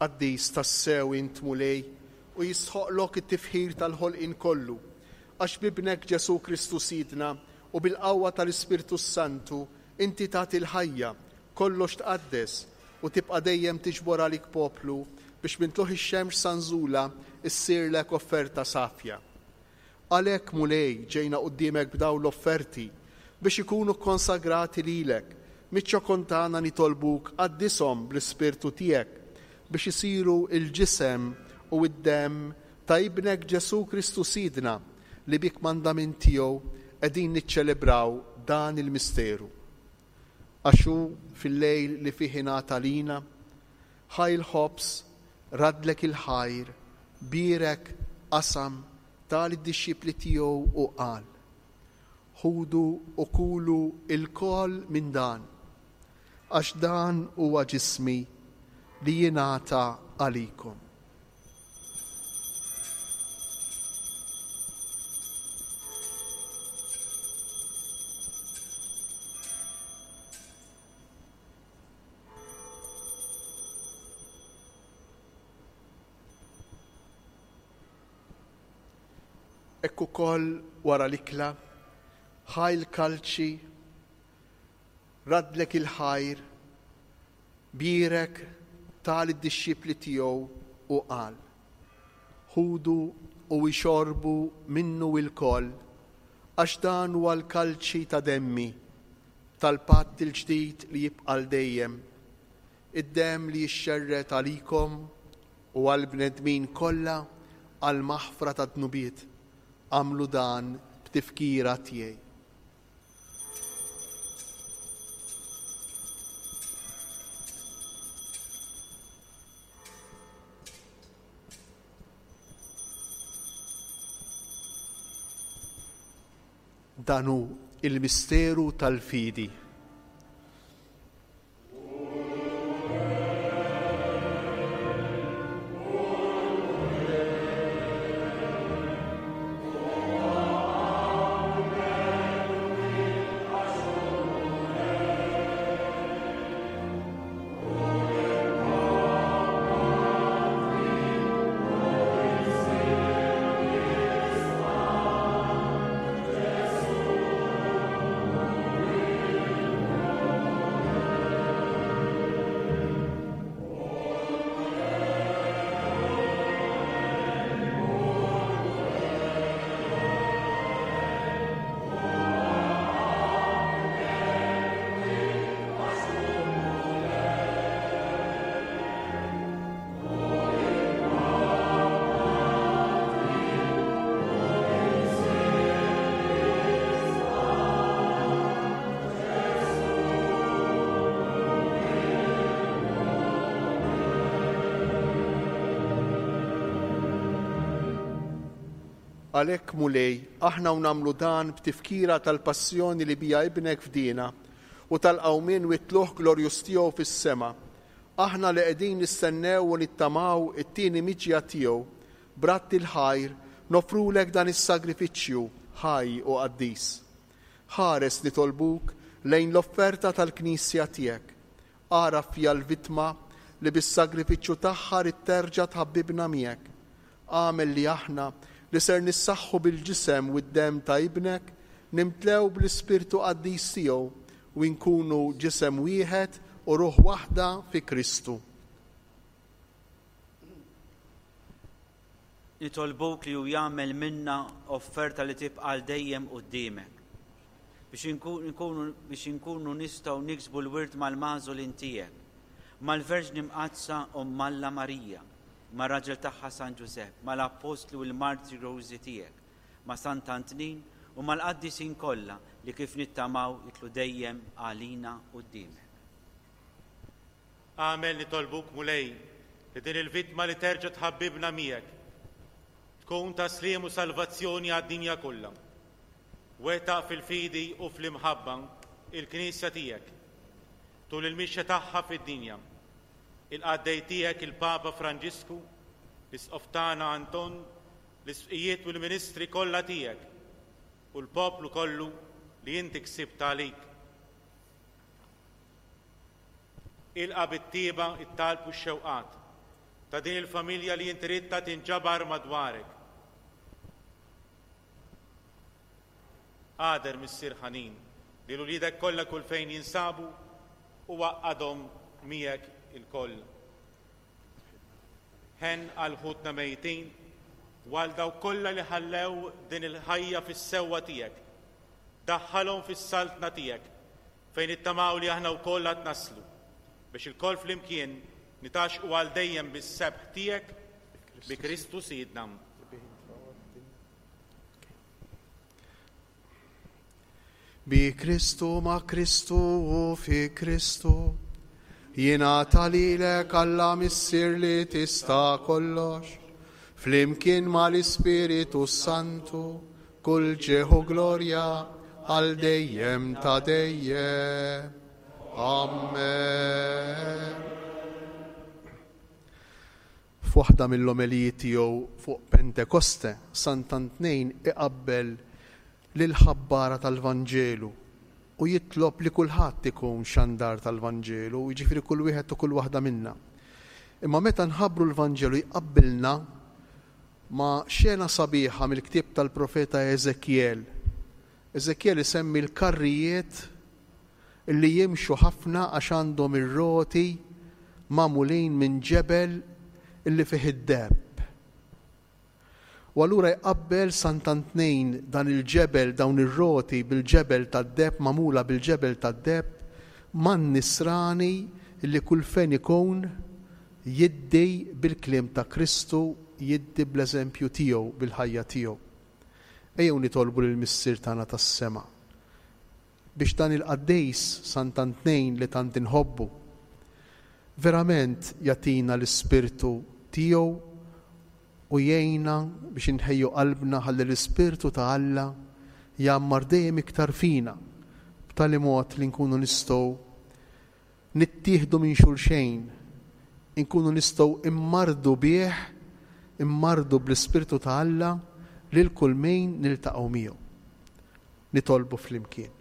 B: Qaddis tassew int Mulej u jistħoqqlok it-tifħir tal-ħolqien kollu, għax b'Ibnek Ġesù Kristu Sidna u bil-qawwa tal-Ispirtu s-Santu inti tagħti l-ħajja, kollox tqaddes, u tibqa' dejjem tiġbor għalik poplu biex minn tlugħ ix-xemx sa nżulha ssirlek offerta safja. Għalhekk, Mulej, ġejna quddiemek b'dawn l-offerti, biex ikunu kkonsagrati lilek. Miċ-ċokon tagħna nitolbuk qaddishom bl-Ispirtu tiegħek, biex isiru l-ġisem u d-demm ta' Ibnek Ġesù Kristu Sidna, li bi kmandament tiegħu qegħdin niċċelebraw dan il-misteru. Għax hu, fil-lejl li fih ingħata lina, ħa l-ħobż, raddlek il-ħajr, bierek, qasam, Ta lid-dixxipli tiegħu u qal, Ħudu u kulu lkoll minn dan, għax dan huwa ġismi li jingħata għalikom. Hekk ukoll wara l-ikla, ħa l-kalċi, raddlek il-ħajr, bierek, ta lid-dixxipli tiegħu u qal, Ħudu u ixorbu minnu ilkoll, għax dan huwa l-kalċi ta' demmi, tal-patt il-ġdid li jibqa' għal dejjem, id-demm li jixxerred għalikom u għall-bnedmin kollha għall-maħfra tad-dnubiet. Agħmlu dan b'tifkira tiegħi. Dan hu l-misteru tal-fidi. Għalhekk, Mulej, aħna u nagħmlu dan b'tifkira tal-passjoni li biha Ibnek fdiena u tal-qawmien u t-tlugħ glorjuż tiegħu fis-sema, aħna li qegħdin nistennew u nittamaw it-tieni miġja tiegħu, b'radd il-ħajr, noffrulek dan is-sagrifiċċju ħaj u qaddis. Ħares, nitolbuk, lejn l-offerta tal-Knisja tiegħek. Agħraf fiha l-vittma li bis-sagrifiċċju tagħha ridt terġa' tħabbibna miegħek. Agħmel li aħna, li ser nissaħħu bil-ġisem u d-demm ta' Ibnek, nimtlew bl-Ispirtu qaddis tiegħu u nkunu ġisem wieħed u ruħ waħda fi Kristu.
G: Nitolbuk li hu jagħmel minna offerta li tibqa' għal dejjem quddiemek, biex inkunu biex inkunu nistgħu niksbu l-wirt mal-magħżulin tiegħek, mal-Verġni Mqaddsa Omm Alla Marija, mar-raġel tagħha San Ġużepp, mal-Appostli u l-martri glorjużi tiegħek, ma' Sant'Antnin u mal-qaddisin kollha li kif nittamaw jidħlu dejjem għalina quddiemek.
H: Agħmel, nitolbuk, Mulej, li din il-vittma li terġa' tħabbibna miegħek, tkun ta' sliem u salvazzjoni għad-dinja kollha. Wettaq fil-fidi u fl-imħabba l-Knisja tiegħek tul il-mixja tagħha fid-dinja. Il-qaddej tiegħek il-Papa Franġisku, l-Isqof tagħna Anton, l-isqfijiet u l-ministri kollha tiegħek, u l-poplu kollu li inti ksibt għalik. Ilqa' bit-tjieba t-talb u x-xewqat ta' din il-familja li inti ridtha tinġabar madwarek. Agħder, Missier ħanin, lil uliedek kollha kull fejn jinsabu u għaqqadhom miegħek ilkoll. Ħenn għal ħutna mejtin u għal dawk kollha li ħallew din il-ħajja fis-sewwa tiegħek. Daħħalhom fis-saltna tiegħek fejn nittamaw li aħna wkoll għad naslu, biex ilkoll flimkien nitgħaxxqu għal dejjem bis-sebħ tiegħek bi Kristu Sidna.
B: Bi Kristu, ma' Kristu u fi Kristu, jingħata lilek Alla Missier li tista' kollox. Flimkien mal-Ispiritu Santu, kull ġieħ u glorja għal dejjem ta' dejjem. Amen. F'waħda mill-omelijiet tiegħu fuq Pentekoste, Sant'Antnejn iqabbel lill-ħabbara tal-Vanġelu u jitlob li kulħadd ikun xandar tal-Vanġelu, jiġifieri kull wieħed u kull waħda minna. Imma meta nħabbru l-Vanġelu jqabbilna ma' xena sabiħa mill-ktieb tal-profeta Eżekjel. Eżekjel isemmi l-karrijiet li jimxu ħafna għax għandhom ir-roti magħmulin minn ġebel illi fih id-deheb. U allura jqabbel Sant'Antnejn dan il-ġebel, dawn ir-roti bil-ġebel tad-deheb magħmula bil-ġebel tad-deheb man-nisrani li kull fejn ikun jiddi bil-kliem ta' Kristu, jiddi bl-eżempju tiegħu, bil-ħajja tiegħu. Ejjew nitolbu lill-Missier tagħna tas-sema biex dan il-qaddis Sant'Antnejn li tant inħobbu, verament jagħtina l-ispirtu tiegħu u jgħinna biex inħejju qalbna ħalli l-Ispirtu ta' Alla jgħammar dejjem iktar fina b'tali mod li nkunu nistgħu nittieħdu minn xulxejn, inkunu nistgħu immardu bih, immardu bl-Ispirtu ta' Alla lil kull min niltaqgħu miegħu. Nitolbu flimkien.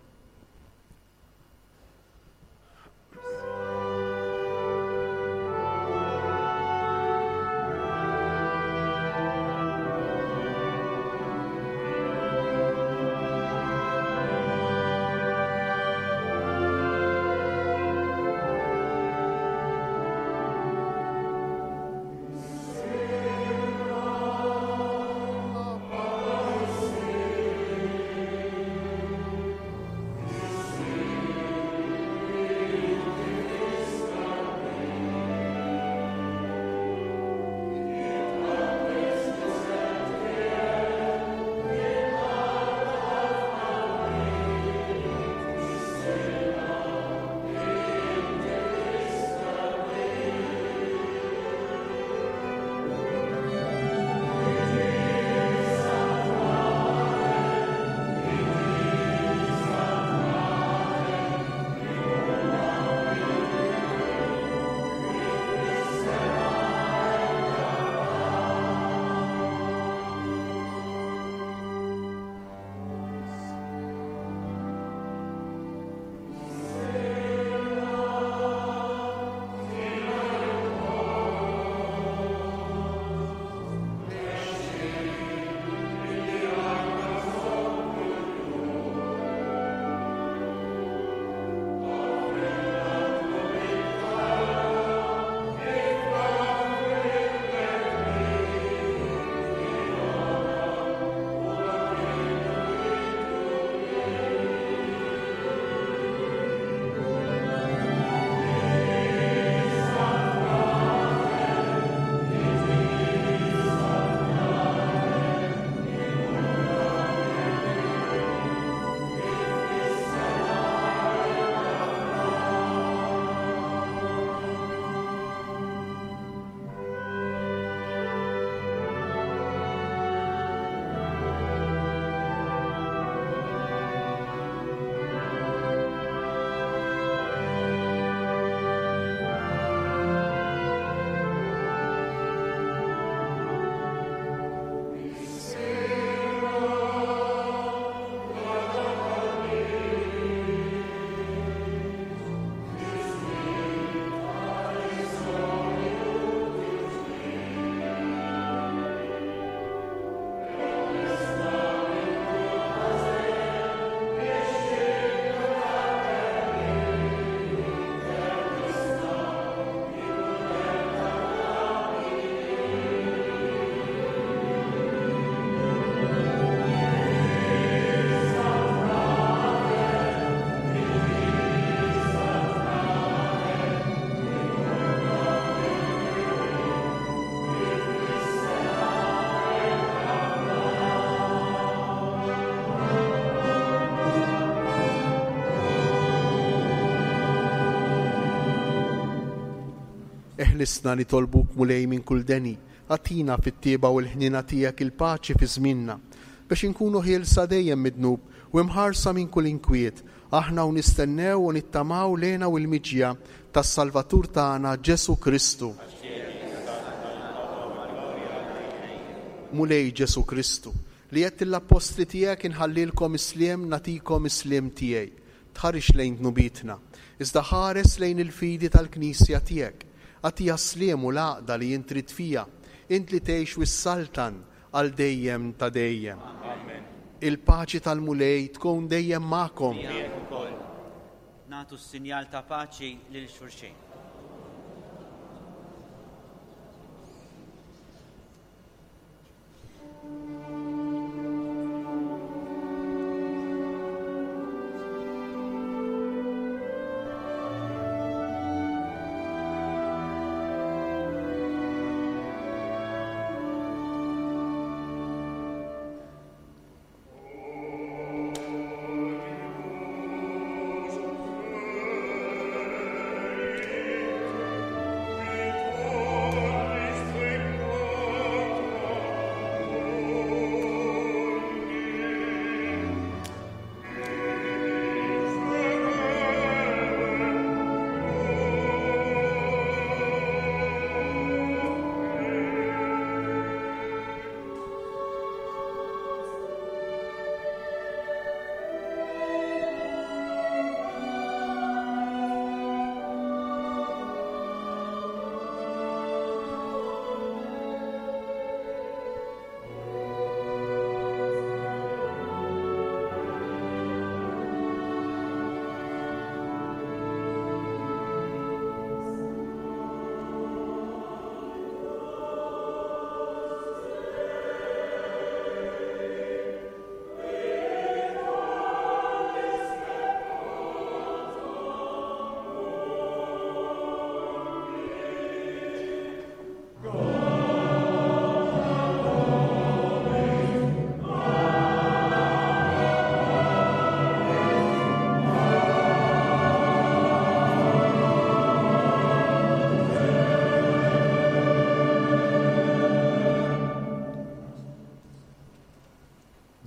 B: Eħlisna nitolbuk Mulej minn kull deni. Agħtina fit-tjieba u l-ħniena tiegħek il-paċi fi żmienna, biex inkunu ħielsa dejjem mid-dnub u imħarsa minn kull inkwiet, aħna u nistennew u nittamaw l-hena u l-miġja tas-Salvatur tagħna Ġesù Kristu. Mulej Ġesù Kristu, li għedt lill-appostli tiegħek inħallilkom is-sliem nagħtikom is-sliem tiegħi. Tħarisx lejn dnubietna, iżda ħares lejn il-fidi tal-Knisja tiegħek. Agħtiha s-sliem u l-għaqda li int trid fiha, int li tgħix u ssaltan għal dejjem ta' dejjem.
H: Amen.
B: Il-paċi tal-Mulej tkun dejjem magħkom.
G: Miegħek ukoll. Nagħtu s-sinjal ta' paċi lil xulxin.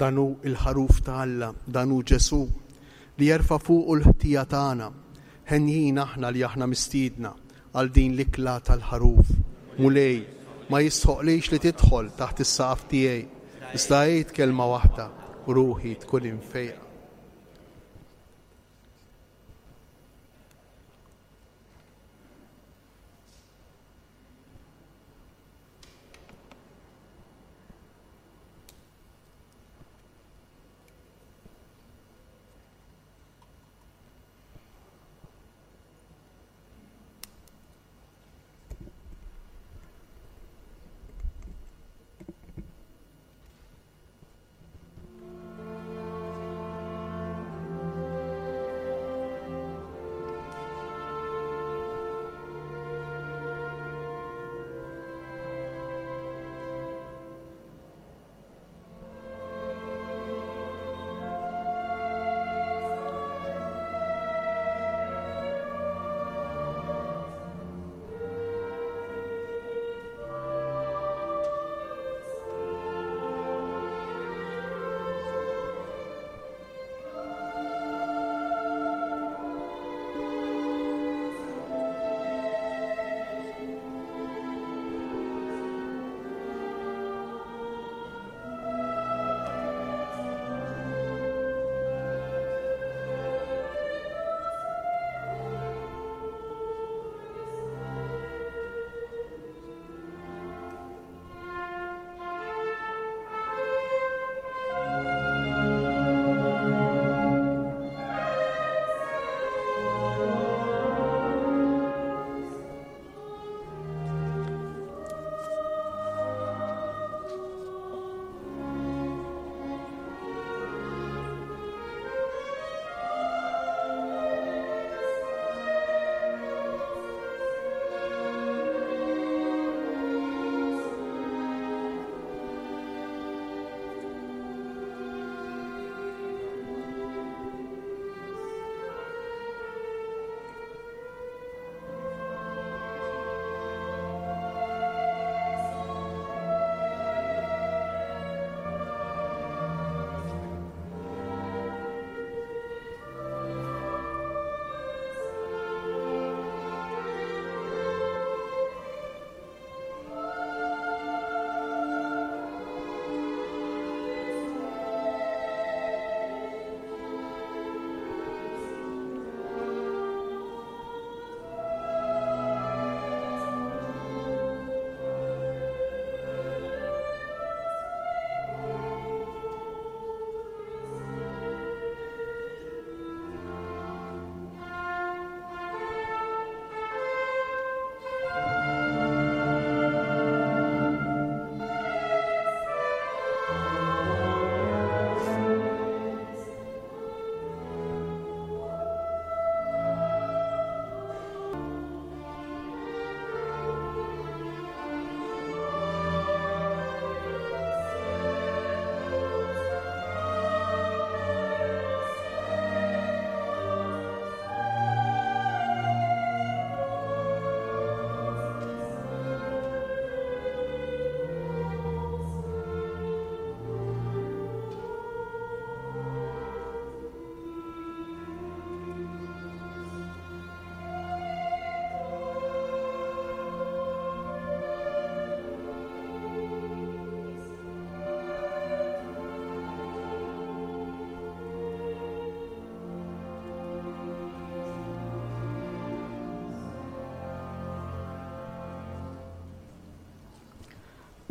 B: Dan hu l-Ħaruf ta' Alla, dan hu Ġesù, li jerfa' fuqu l-ħtija tagħna. Henjin aħna li aħna mistiedna għal din l-ikla tal-Ħaruf. Mulej, ma jistħoqlix li tidħol taħt is-saqaf tiegħi, iżda għid kelma waħda u ruħi tkun imfejqa.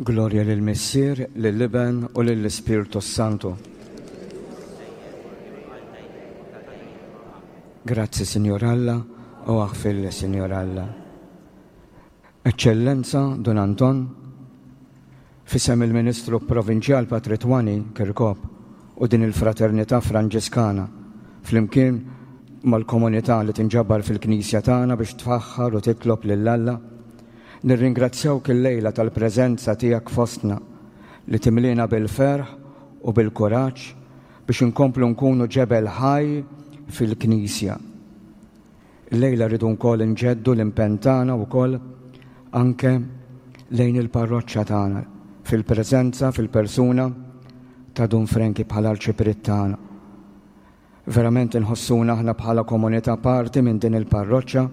E: Glorja lill-Missier, lill-Iben u lill-Ispirtu s-Santu. Grazzi, Sinjur Alla, u aħfirli, Sinjur Alla. Eċċellenza Dun Anton, f'isem il-Ministru Provinċjal Patri Twani Kirkop u din il-Fraternità Franġiskana, flimkien mal-komunità li tinġabar fil-Knisja tagħna biex tfaħħar u titlob lil Alla, nirringrazzjawk illejla tal-preżenza tiegħek fostna li timliena bil-ferħ u bil-kuraġġ biex inkomplu nkunu ġebel ħaj fil-Knisja. Illejla rridu wkoll inġeddu l-impenn tagħna wkoll anke lejn il-parroċċa tagħna fil-preżenza, fil-persuna ta' Dun Frenki bħala arċipriet tagħna. Verament inħossuna aħna bħala komunità parti minn din il-parroċċa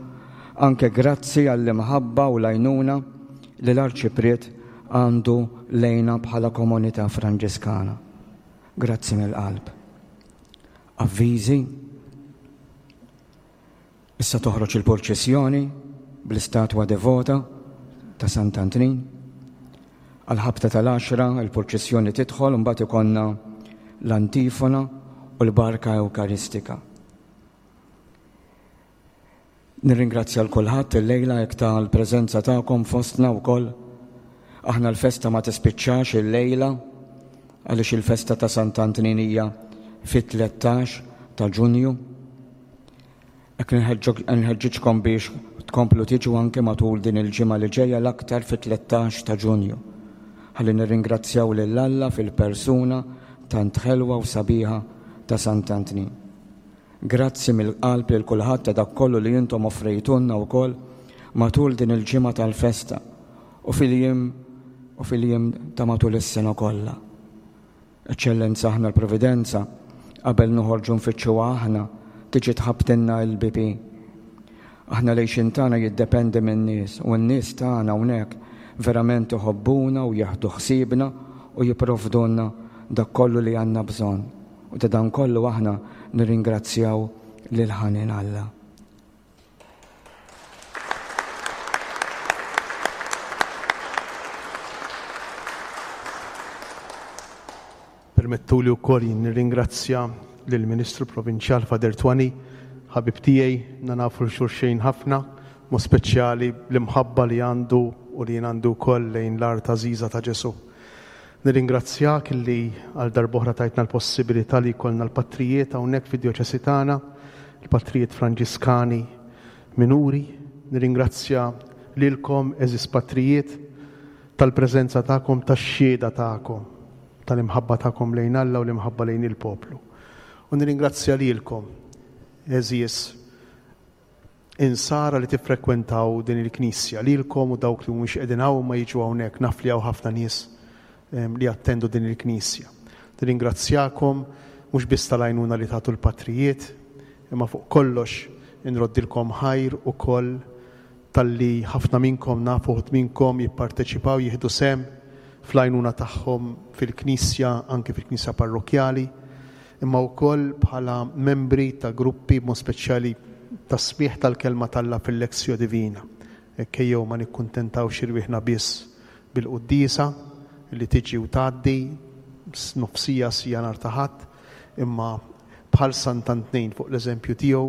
E: anke grazzi għall-imħabba u l-għajnuna li l-arċipriet għandu lejna bħala komunità Franġiskana. Grazzi mill-qalb. Avviżi Issa toħroġ il-purċissjoni bl-istatwa devota ta' Sant'Antnin. Għal-ħabta tal-għaxra il-purċissjoni tidħol u mbagħad ikollna l-antifona u l-barka Ewkaristika. Nirringrazzja l kulħadd illejla hekk tal-preżenza tagħkom fostna wkoll. Aħna l-festa ma tispiċċax illejla għaliex il-festa ta' Sant'Antnin hija fit-13 ta' Ġunju. Hekk nħeġġiġkom biex tkomplu tiġu anke matul din il-ġimgħa li ġejja l-aktar fit-13 ta' Ġunju. Ħalli nirringrazzjaw lil Alla fil-persuna tant ħelwa u sabiħa ta' Sant'Antnin. Grazzi mill-qalb lil kulħadd ta' dak kollu li intom offrejtulna wkoll matul din il-ġimgħa tal-festa u fil-jiem u fil-jiem ta' matul is-sena kollha. Eċċellenza aħna l-Providenza, qabel noħorġu nfittxuha aħna, tiġi tħabbtilna il-bieb hi. Aħna l-għixien tagħna jiddependi min-nies u n-nies tagħna hawnhekk verament iħobbuna u jieħdu ħsiebna u jipprovdulna dak kollu li għandna bżonn. U ta' dan kollu aħna nirringrazzjaw lil ħanin Alla.
B: Permettuli wkoll jien nirringrazzja lill-Ministru Provinċjal Father Twani, ħabib tiegħi, na nafu 'l xulxejn ħafna, mod speċjali bl-imħabba li għandu u li jien għandi wkoll lejn l-art għażiża ta' Ġesù. Nirringrazzjak li għal darb'oħra tajtna l-possibilità li jkollna l-patrijiet hawnhekk fid-djoċesi tagħna, il-patrijiet Franġiskani Minuri. Nirringrazzja lilkom, għeżież patrijiet, tal-preżenza tagħkom, tax-xhieda tagħkom, tal-imħabba tagħkom lejn Alla u l-imħabba lejn il-poplu. U nirringrazzja lilkom, għeżież Insara li tiffrekwentaw din il-knisja, lilkom u dawk li mhumiex qegħdin hawn ma jiġu hawnhekk, naf li hawn ħafna nies li jattendu din il-knisja. Nirringrazzjakom mhux biss tal-għajnuna li tagħtu l-patrijiet, imma fuq kollox inroddilkom ħajr ukoll talli ħafna minnkom, naf uħud minnkom jipparteċipaw, jieħdu sehem fl-għajnuna tagħhom fil-knisja, anke fil-knisja parrokkjali. imma wkoll bħala membri ta' gruppi b'mod speċjali tas-smigħ tal-Kelma t'Alla fil-Lectio Divina. Hekk ejjew ma nikkuntentawx irwieħna biss bil-quddiesa li tiġi u tgħaddi nofsija sija nhar ta' Ħadd, imma bħal Sant'Antnin fuq l-eżempju tiegħu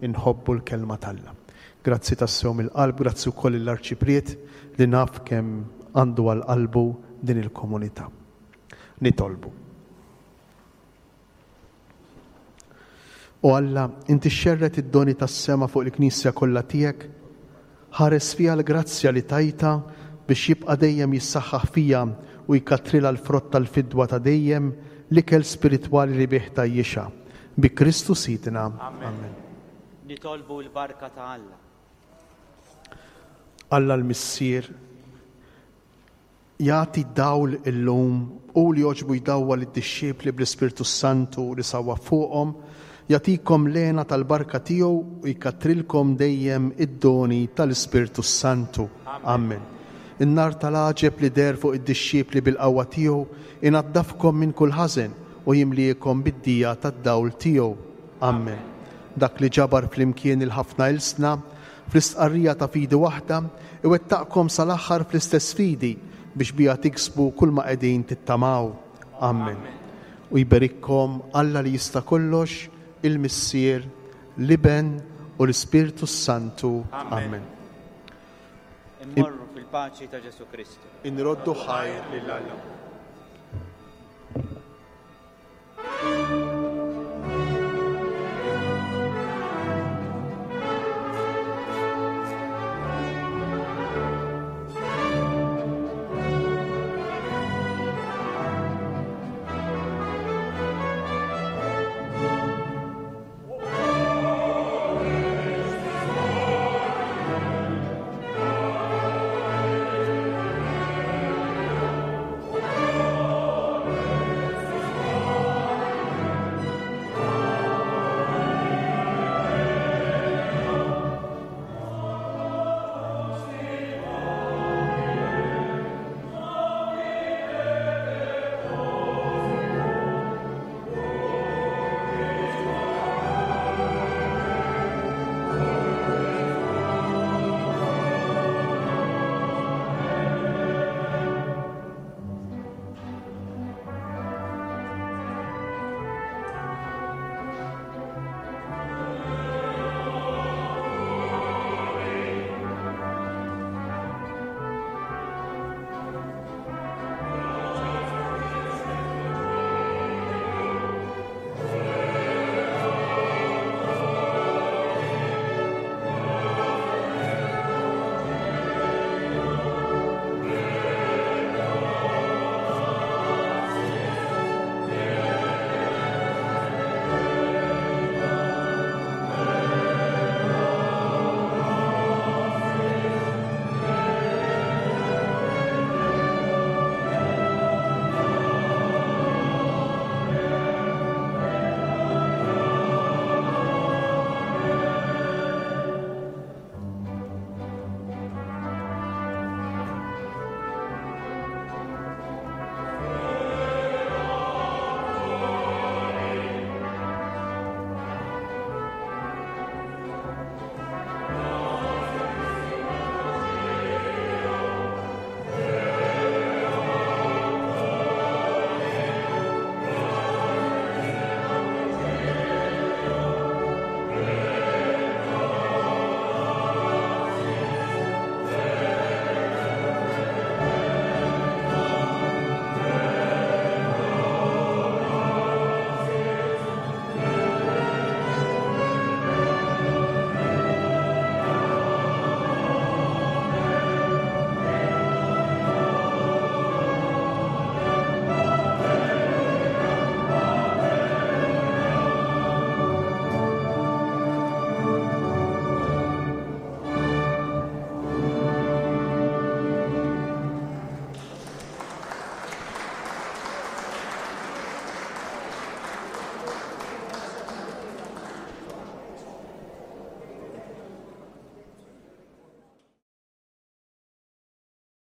B: inħobbu l-Kelma t'Alla. Grazzi tassew mill-qalb, grazzi wkoll lill-Arċipriet li naf kemm għandu għal qalbu din il-komunità. Nitolbu. O Alla, inti xxerred id-doni tas-sema fuq il-Knisja kollha tiegħek, ħares fiha l-grazzja li tajtha biex jibqa' dejjem jissaħħaħ fiha u jkattrilha l-frott tal-fidwa ta' dejjem, l-ikel spiritwali li bih tgħajjixha. Bi Kristu Sidna.
G: Amen. Nitolbu l-barka ta' Alla.
B: Alla l-Missier, Jagħti d-dawl illum, hu li għoġbu jdawwal id-dixxipli bl-Ispirtu s-Santu li sawwab fuqhom, jagħtikom l-hena tal-barka tiegħu u jkattrilkom dejjem id-doni tal-Ispirtu s-Santu. Amen. In-nar tal-għaġeb li deher fuq id-dixxipli bil-qawwa tiegħu inaddafkom minn kull ħażen u jimliekom bid-dija tad-dawl tiegħu. Amen. Dak li ġabar flimkien il-ħafna ilsna Fl-istqarrija ta' fidi waħda, iwettaqkom sal-aħħar fl-istess fidi, biex biha tiksbu kull ma qegħdin tittamaw. Amen. U jberikkom Alla li jista' kollox, il-Missier, l-Iben u l-Ispirtu s-Santu. Amen.
G: Immorru fil-paċi ta' Ġesù Kristu.
B: Inroddu ħajr lil Alla.